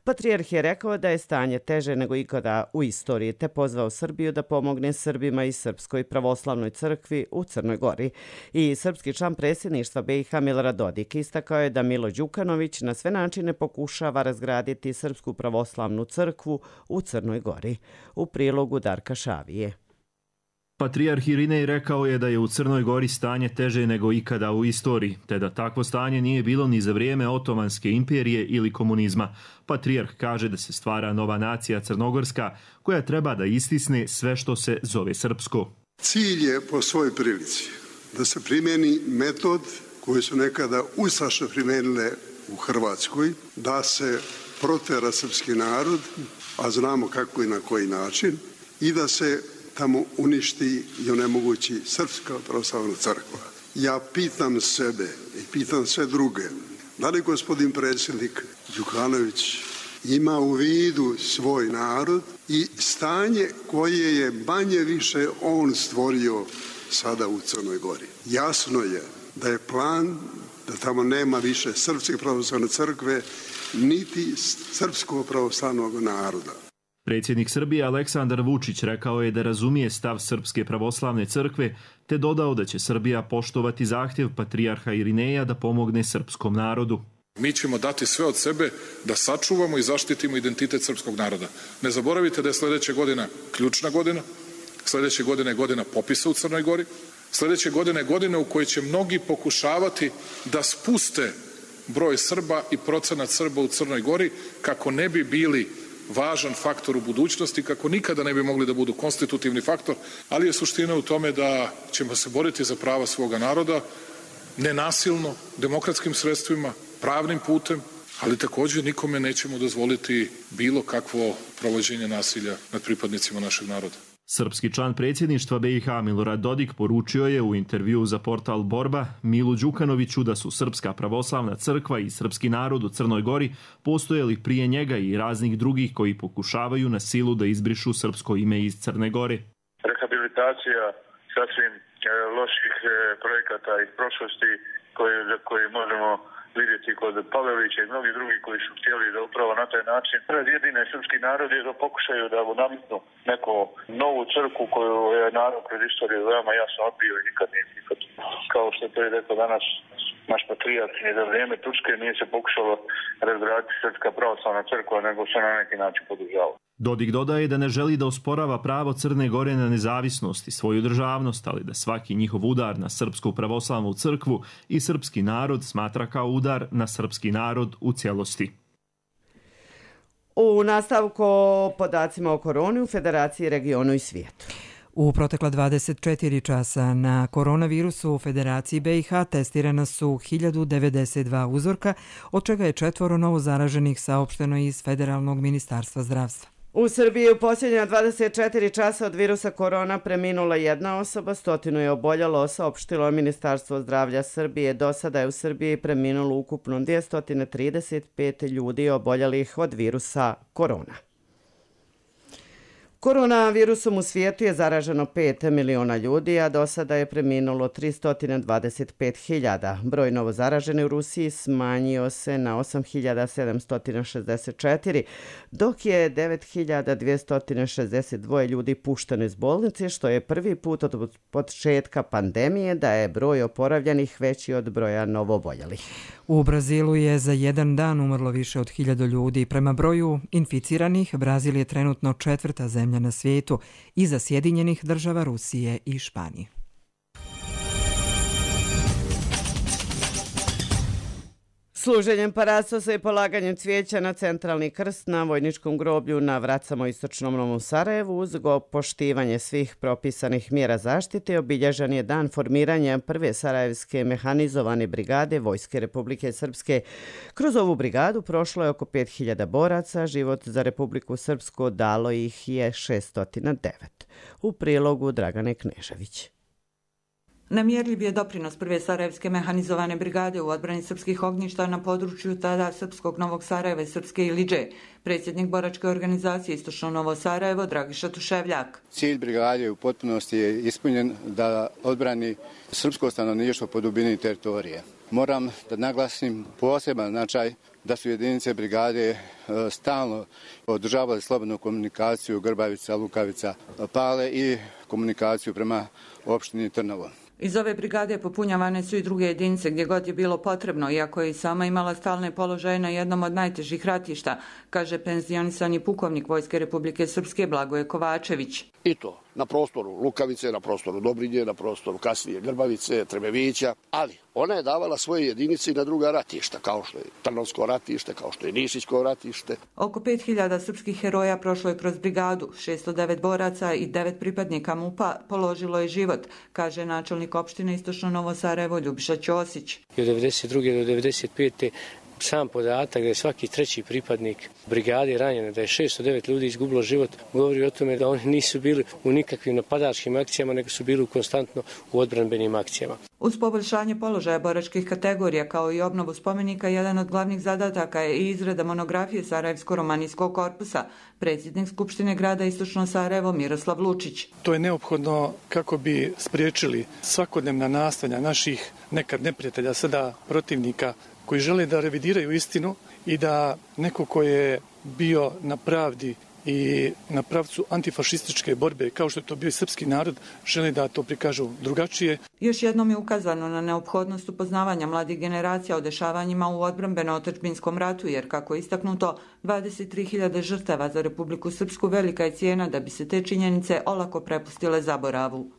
Patrijarh je rekao da je stanje teže nego ikada u istoriji, te pozvao Srbiju da pomogne Srbima i Srpskoj pravoslavnoj crkvi u Crnoj Gori. I srpski član predsjedništva BiH Milorad Dodik istakao je da Milo Đukanović na sve načine pokušava razgraditi Srpsku pravoslavnu crkvu u Crnoj Gori. U prilogu Darka Šavije. Patrijarh Irinej rekao je da je u Crnoj Gori stanje teže nego ikada u istoriji, te da takvo stanje nije bilo ni za vrijeme Otomanske imperije ili komunizma. Patrijarh kaže da se stvara nova nacija crnogorska koja treba da istisne sve što se zove srpsko. Cilj je po svojoj prilici da se primjeni metod koji su nekada ustaše primijenile u Hrvatskoj, da se protera srpski narod, a znamo kako i na koji način, i da se tamo uništi i onemogući Srpska pravoslavna crkva. Ja pitam sebe i pitam sve druge, da li gospodin predsjednik Đukanović ima u vidu svoj narod i stanje koje je manje više on stvorio sada u Crnoj Gori. Jasno je da je plan da tamo nema više Srpske pravoslavne crkve, niti Srpskog pravoslavnog naroda. Predsjednik Srbije Aleksandar Vučić rekao je da razumije stav Srpske pravoslavne crkve, te dodao da će Srbija poštovati zahtjev patrijarha Irineja da pomogne srpskom narodu. Mi ćemo dati sve od sebe da sačuvamo i zaštitimo identitet srpskog naroda. Ne zaboravite da je sljedeća godina ključna godina, sljedeće godine je godina popisa u Crnoj Gori, sljedeće godine je godina u kojoj će mnogi pokušavati da spuste broj Srba i procenat Srba u Crnoj Gori kako ne bi bili važan faktor u budućnosti, kako nikada ne bi mogli da budu konstitutivni faktor, ali je suština u tome da ćemo se boriti za prava svoga naroda, nenasilno, demokratskim sredstvima, pravnim putem, ali također nikome nećemo dozvoliti bilo kakvo provođenje nasilja nad pripadnicima našeg naroda. Srpski član predsjedništva BiH Milorad Dodik poručio je u intervjuu za portal Borba Milu Đukanoviću da su Srpska pravoslavna crkva i srpski narod u Crnoj Gori postojali prije njega i raznih drugih koji pokušavaju na silu da izbrišu srpsko ime iz Crne Gore. Rehabilitacija sasvim loših projekata iz prošlosti koje možemo vidjeti kod Pavelića i mnogi drugi koji su htjeli da upravo na taj način razjedine srpski narod je da pokušaju da nametnu neku novu crkvu koju je narod kroz istoriju veoma jasno odbio i nikad nije prihvatio. Kao što je to i rekao danas naš patrijarh, ni za vrijeme Turske nije se pokušalo razgraditi Srpska pravoslavna crkva, nego se na neki način podržava. Dodik dodaje da ne želi da osporava pravo Crne Gore na nezavisnost i svoju državnost, ali da svaki njihov udar na Srpsku pravoslavnu crkvu i srpski narod smatra kao udar na srpski narod u cijelosti. U nastavku o podacima o koroni u Federaciji, regionu i svijetu. U protekla 24 časa na koronavirusu u Federaciji BiH testirana su 1092 uzorka, od čega je 4 novo zaraženih saopšteno iz Federalnog ministarstva zdravstva. U Srbiji u posljednja 24 časa od virusa korona preminula 1 osoba, 100 je oboljelo, saopštilo Ministarstvo zdravlja Srbije. Do sada je u Srbiji preminulo ukupno 235 ljudi oboljelih od virusa korona. Koronavirusom u svijetu je zaraženo 5 miliona ljudi, a do sada je preminulo 325.000. Broj novozaraženih u Rusiji smanjio se na 8.764, dok je 9.262 ljudi pušteno iz bolnice, što je prvi put od početka pandemije da je broj oporavljenih veći od broja novooboljelih. U Brazilu je za jedan dan umrlo više od 1000 ljudi. Prema broju inficiranih, Brazil je trenutno 4. zemlja na svijetu iza Sjedinjenih država, Rusije i Španije. Služenjem parastosa i polaganjem cvijeća na centralni krst na vojničkom groblju na Vracamo istočnom Novom Sarajevu uz poštivanje svih propisanih mjera zaštite obilježen je dan formiranja prve sarajevske mehanizovane brigade Vojske Republike Srpske. Kroz ovu brigadu prošlo je oko 5000 boraca, život za Republiku Srpsku dalo ih je 609. U prilogu Dragane Knežević. Nemjerljiv je doprinos prve sarajevske mehanizovane brigade u odbrani srpskih ognjišta na području tada srpskog Novog Sarajeva i srpske Iliđe. Predsjednik boračke organizacije Istočno Novo Sarajevo Dragiša Tuševljak. Cilj brigade u potpunosti je ispunjen da odbrani srpsko stanovništvo po dubini teritorije. Moram da naglasim poseban značaj da su jedinice brigade stalno održavale slobodnu komunikaciju Grbavica, Lukavica, Pale i komunikaciju prema opštini Trnovo. Iz ove brigade popunjavane su i druge jedinice gdje god je bilo potrebno, iako je i sama imala stalne položaje na jednom od najtežih ratišta, kaže penzionisani pukovnik Vojske Republike Srpske Blagoje Kovačević. I to na prostoru Lukavice, na prostoru Dobrinje, na prostoru kasnije Grbavice, Trebevića, ali ona je davala svoje jedinice i na druga ratišta, kao što je Trnovsko ratište, kao što je Nišićko ratište. Oko 5000 srpskih heroja prošlo je kroz brigadu, 609 boraca i 9 pripadnika MUP-a položilo je život, kaže načelnik opštine Istočno Novo Sarajevo Ljubiša Ćosić. Od 1992. do 1995. Sam podatak da je svaki treći pripadnik brigade ranjen, da je 609 ljudi izgubilo život, govori o tome da oni nisu bili u nikakvim napadačkim akcijama, nego su bili konstantno u odbranbenim akcijama. Uz poboljšanje položaja boračkih kategorija kao i obnovu spomenika, jedan od glavnih zadataka je i izrada monografije Sarajevsko-romanijskog korpusa, predsjednik Skupštine grada Istočno Sarajevo Miroslav Lučić. To je neophodno kako bi spriječili svakodnevna nastojanja naših nekad neprijatelja, sada protivnika, koji žele da revidiraju istinu i da neko ko je bio na pravdi i na pravcu antifašističke borbe, kao što je to bio i srpski narod, žele da to prikažu drugačije. Još jednom je ukazano na neophodnost upoznavanja mladih generacija o dešavanjima u odbrambeno-otadžbinskom ratu, jer kako je istaknuto, 23.000 žrtava za Republiku Srpsku velika je cijena da bi se te činjenice olako prepustile zaboravu.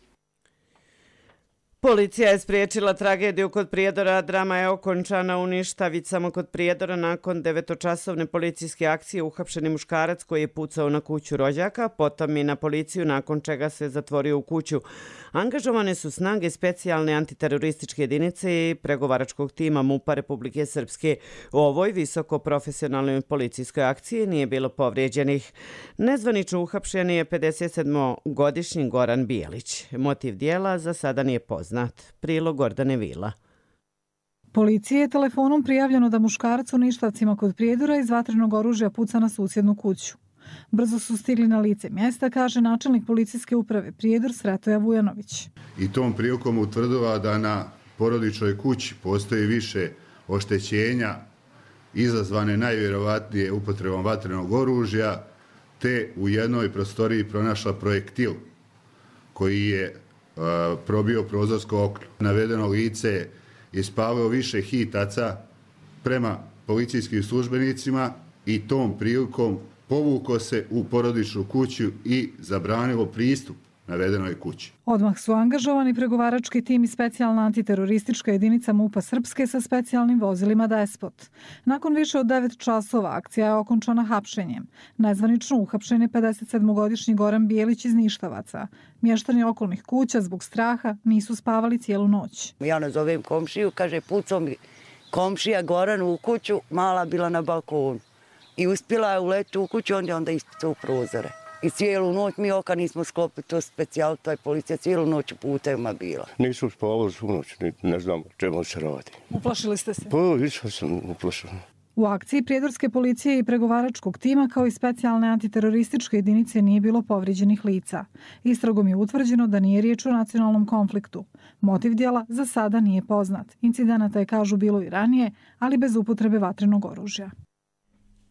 Policija je spriječila tragediju kod Prijedora, drama je okončana u Ništavicama kod Prijedora nakon 9-časovne policijske akcije. Uhapšeni muškarac koji je pucao na kuću rođaka, potom i na policiju, nakon čega se zatvorio u kuću. Angažovane su snage specijalne antiterorističke jedinice i pregovaračkog tima MUP-a Republike Srpske. U ovoj visoko profesionalnoj policijskoj akciji nije bilo povrijeđenih. Nezvanično uhapšen je 57-godišnji Goran Bijelić. Motiv dijela za sada nije poznat. Prilog Gordane Vila. Policiji je telefonom prijavljeno da muškarac u Ništavcima kod Prijedora iz vatrenog oružja puca na susjednu kuću. Brzo su stigli na lice mjesta, kaže načelnik policijske uprave Prijedor Sretoja Vujanović. I tom prilikom utvrdila da na porodičnoj kući postoji više oštećenja izazvane najvjerovatnije upotrebom vatrenog oružja, te u jednoj prostoriji pronašla projektil koji je probio prozorsko okno. Navedeno lice je ispalilo više hitaca prema policijskim službenicima i tom prilikom povukao se u porodičnu kuću i zabranilo pristup navedenoj kući. Odmah su angažovani pregovarački tim i specijalna antiteroristička jedinica MUP-a Srpske sa specijalnim vozilima Despot. Nakon više od 9 časova akcija je okončana hapšenjem. Nezvanično uhapšen je 57-godišnji Goran Bijelić iz Ništavaca. Mještani okolnih kuća zbog straha nisu spavali cijelu noć. Ja nazovem komšiju, kaže pucao mi komšija Goran u kuću, mala bila na balkonu. I uspjela je uletiti u kuću, onda ispucao u prozore. I cijelu noć mi oka nismo sklopili, to specijal, to je policija cijelu noć u putevima bila. Nisam spavao svu noć, ne znam čemu se radi. Uplašili ste se? Pa, više sam uplašen. U akciji prijedorske policije i pregovaračkog tima kao i specijalne antiterorističke jedinice nije bilo povrijeđenih lica. Istragom je utvrđeno da nije riječ o nacionalnom konfliktu. Motiv djela za sada nije poznat. Incidenata je, kažu, bilo i ranije, ali bez upotrebe vatrenog oružja.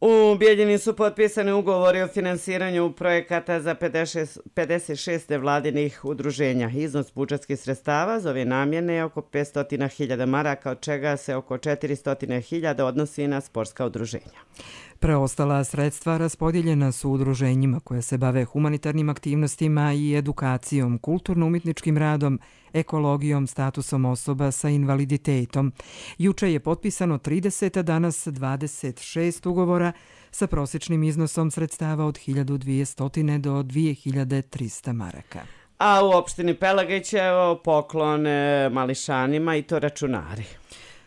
U Bijeljini su potpisani ugovori o finansiranju projekata za 56 nevladinih udruženja. Iznos budžetskih sredstava za ove namjene je oko 500.000 maraka, od čega se oko 400.000 odnosi na sportska udruženja. Preostala sredstva raspodijeljena su udruženjima koje se bave humanitarnim aktivnostima i edukacijom, kulturno-umjetničkim radom, ekologijom, statusom osoba sa invaliditetom. Juče je potpisano 30, danas 26 ugovora sa prosječnim iznosom sredstava od 1.200 do 2.300 maraka. A u opštini Pelagićevo poklon mališanima i to računari.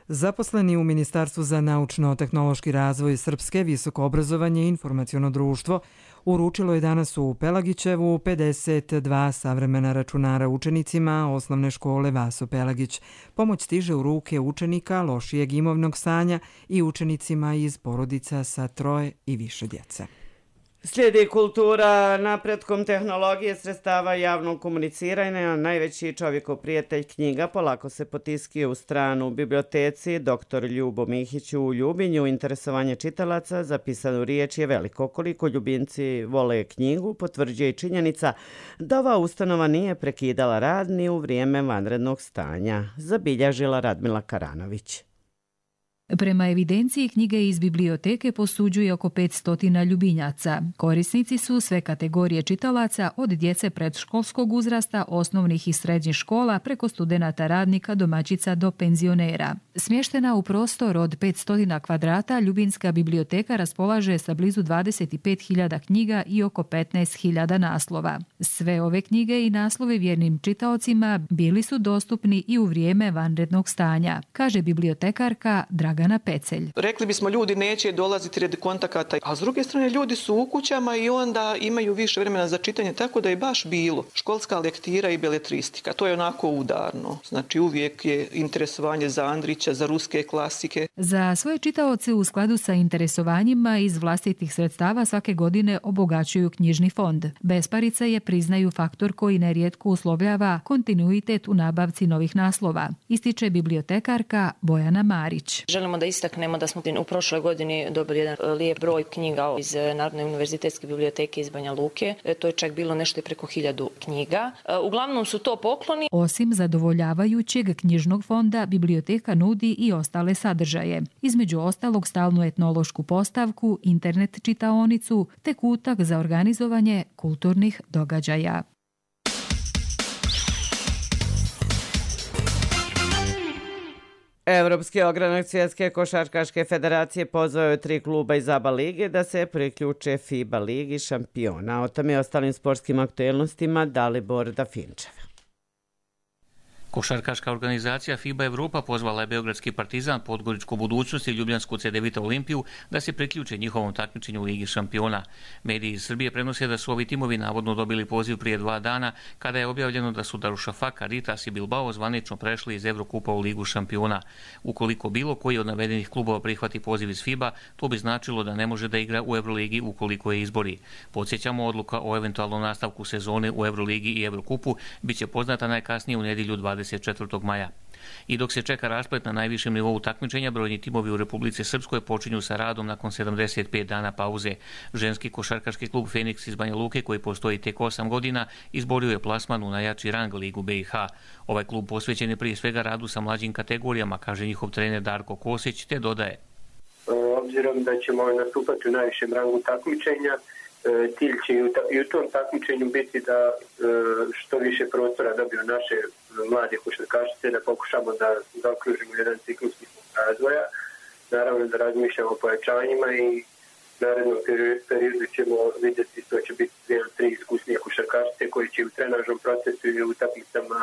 Zaposleni u Ministarstvu za naučno-tehnološki razvoj Srpske, visoko obrazovanje i informaciono društvo uručilo je danas u Pelagićevu 52 savremena računara učenicima osnovne škole Vaso Pelagić. Pomoć stiže u ruke učenika lošijeg imovnog stanja i učenicima iz porodica sa 3 i više djece. Slijedi kultura napretkom tehnologije, sredstava javnog komuniciranja. Najveći čovjekov prijatelj knjiga polako se potiskio u stranu u biblioteci. Dr. Ljubo Mihić u Ljubinju. Interesovanje čitalaca za pisanu riječ je veliko. Koliko ljubimci vole knjigu potvrđuje i činjenica da ova ustanova nije prekidala rad ni u vrijeme vanrednog stanja, zabilježila Radmila Karanović. Prema evidenciji, knjige iz biblioteke posuđuje oko 500 ljubinjaca. Korisnici su sve kategorije čitalaca, od djece predškolskog uzrasta, osnovnih i srednjih škola, preko studenata, radnika, domaćica do penzionera. Smještena u prostor od 500 kvadrata, Ljubinska biblioteka raspolaže sa blizu 25.000 knjiga i oko 15.000 naslova. Sve ove knjige i naslovi vjernim čitaocima bili su dostupni i u vrijeme vanrednog stanja, kaže bibliotekarka Dragana Dragana Pecelj. Rekli bismo ljudi neće dolaziti radi kontakata, a s druge strane ljudi su u kućama i onda imaju više vremena za čitanje, tako da je baš bilo školska lektira i beletristika. To je onako udarno. Znači uvijek je interesovanje za Andrića, za ruske klasike. Za svoje čitaoce u skladu sa interesovanjima iz vlastitih sredstava svake godine obogaćuju knjižni fond. Besparica je, priznaju, faktor koji nerijetko uslovljava kontinuitet u nabavci novih naslova, ističe bibliotekarka Bojana Marić. Želimo da istaknemo da smo u prošloj godini dobili jedan lijep broj knjiga iz Narodne univerzitetske biblioteke iz Banja Luke. To je čak bilo nešto preko 1000 knjiga. Uglavnom su to pokloni. Osim zadovoljavajućeg knjižnog fonda, biblioteka nudi i ostale sadržaje. Između ostalog stalnu etnološku postavku, internet čitaonicu te kutak za organizovanje kulturnih događaja. Evropski ogranak Svjetske košarkaške federacije pozvao je 3 kluba iz ABA lige da se priključe FIBA ligi šampiona. O tome i ostalim sportskim aktuelnostima Dalibor Dafinčev. Košarkaška organizacija FIBA Evropa pozvala je Beogradski Partizan, Podgoričku Budućnost i Ljubljansku CDVita Olimpiju da se priključe njihovom takmičenju u Ligi šampiona. Mediji iz Srbije prenose da su ovi timovi navodno dobili poziv prije 2 dana kada je objavljeno da su Darušafaka, Ritas i Bilbao zvanično prešli iz Evrokupa u Ligu šampiona. Ukoliko bilo koji od navedenih klubova prihvati poziv iz FIBA, to bi značilo da ne može da igra u Evroligi ukoliko je izbori. Podsjećamo, odluka o eventualnom nastavku sezone u Evroligi i Evrokupu biće poznata najkasnije u nedjelju 24. maja. I dok se čeka rasplet na najvišem nivou takmičenja, brojni timovi u Republici Srpskoj počinju sa radom nakon 75 dana pauze. Ženski košarkaški klub Feniks iz Banja Luke, koji postoji tek 8 godina, izborio je plasman u najjači rang Ligu BiH. Ovaj klub posvećen je prije svega radu sa mlađim kategorijama, kaže njihov trener Darko Kosić, te dodaje. Obzirom da ćemo nastupati u najvišem rangu takmičenja, cilj će i u tom takmičenju biti da što više prostora dobiju naše mlade košarkašice, da pokušamo da zaokružimo jedan ciklus razvoja. Naravno da razmišljamo o pojačanjima i narednom periodu ćemo vidjeti što će biti 2-3 iskusnije košarkašice koji će u trenažnom procesu i u utakmicama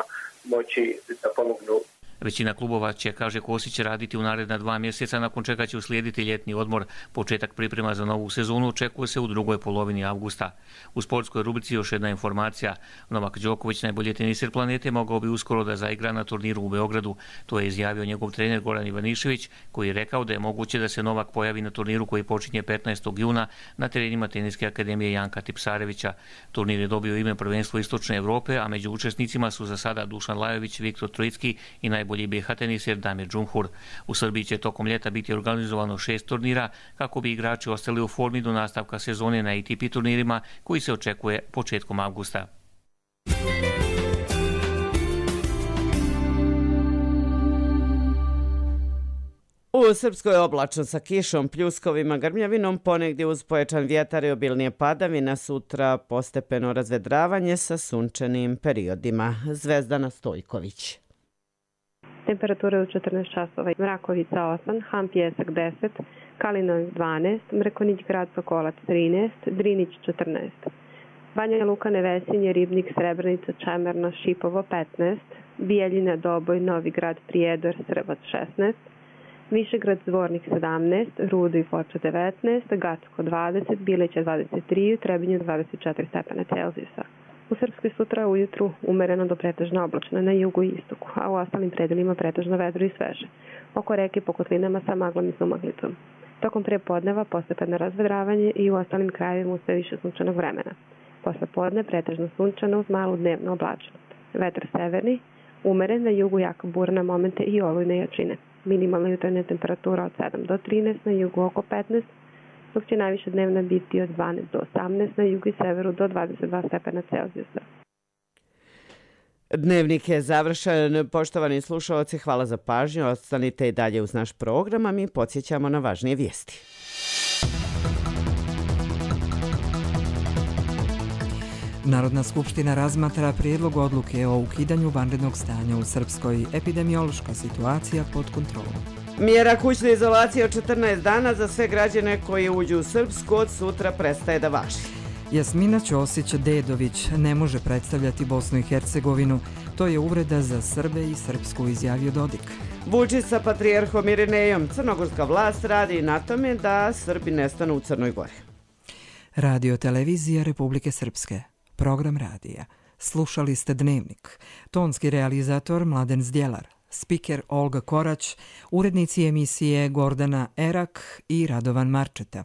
moći da pomognu. Većina klubova će, kaže Kosić, raditi u naredna 2 mjeseca, nakon čega će uslijediti ljetni odmor. Početak priprema za novu sezonu očekuje se u drugoj polovini avgusta. U sportskoj rubrici još jedna informacija. Novak Đoković, najbolji teniser planete, mogao bi uskoro da zaigra na turniru u Beogradu. To je izjavio njegov trener Goran Ivanišević, koji je rekao da je moguće da se Novak pojavi na turniru koji počinje 15. juna na terenima Teniske akademije Janka Tipsarevića. Turnir je dobio ime Prvenstvo Istočne Evrope, a među učesnicima su za sada Dušan Lajović, Viktor Trojicki i najbolji BiH teniser Damir Džumhur. U Srbiji će tokom ljeta biti organizovano 6 turnira kako bi igrači ostali u formi do nastavka sezone na ATP turnirima koji se očekuje početkom avgusta. U Srpskoj oblačno sa kišom, pljuskovima, grmljavinom, ponegdje uz pojačan vjetar i obilnije padavina, sutra postepeno razvedravanje sa sunčanim periodima. Zvezdana Stojković. Temperatura u 14 časova. Mrakovica 8, Han Pjesak 10, Kalinović 12, Mrkonić grad Sokolac 13, Drinić 14. Banja Luka, Nevesinje, Ribnik, Srebrenica, Čemerna, Šipovo 15, Bijeljina, Doboj, Novi grad, Prijedor, Srbac 16, Višegrad, Zvornik 17, Rudo i Foča 19, Gacko 20, Bileća 23, Trebinje 24 stepena Celzijusa. U Srpskoj sutra ujutru umereno do pretežno oblačno na jugu i istoku, a u ostalim predelima pretežno vedro i sveže. Oko reke po kotlinama sa maglom i sumaglicom. Tokom prepodneva postepeno razvedravanje i u ostalim krajevima sve više sunčanog vremena. Posle podne pretežno sunčano uz malu dnevnu oblačnost. Vetar severni, umeren, na jugu jaka bura na momente i olujne jačine. Minimalna jutarnja temperatura od 7 do 13, na jugu oko 15, dok će najviše dnevna biti od 12 do 18, na jugu i severu do 22 stepena Celzijusa. Dnevnik je završen. Poštovani slušalci, hvala za pažnju. Ostanite i dalje uz naš program, a mi podsjećamo na važnije vijesti. Narodna skupština razmatra prijedlog odluke o ukidanju vanrednog stanja u Srpskoj. Epidemiološka situacija pod kontrolom. Mjera kućne izolacije od 14 dana za sve građane koji uđu u Srpsku od sutra prestaje da važi. Jasmina Ćosić-Dedović ne može predstavljati Bosnu i Hercegovinu. To je uvreda za Srbe i Srpsku, izjavio Dodik. Vučić sa patrijarhom Irinejom. Crnogorska vlast radi na tome da Srbi nestanu u Crnoj Gori. Radio televizija Republike Srpske. Program radija. Slušali ste Dnevnik. Tonski realizator Mladen Zdjelar. Spiker Olga Korać. Urednici emisije Gordana Erak i Radovan Marčeta.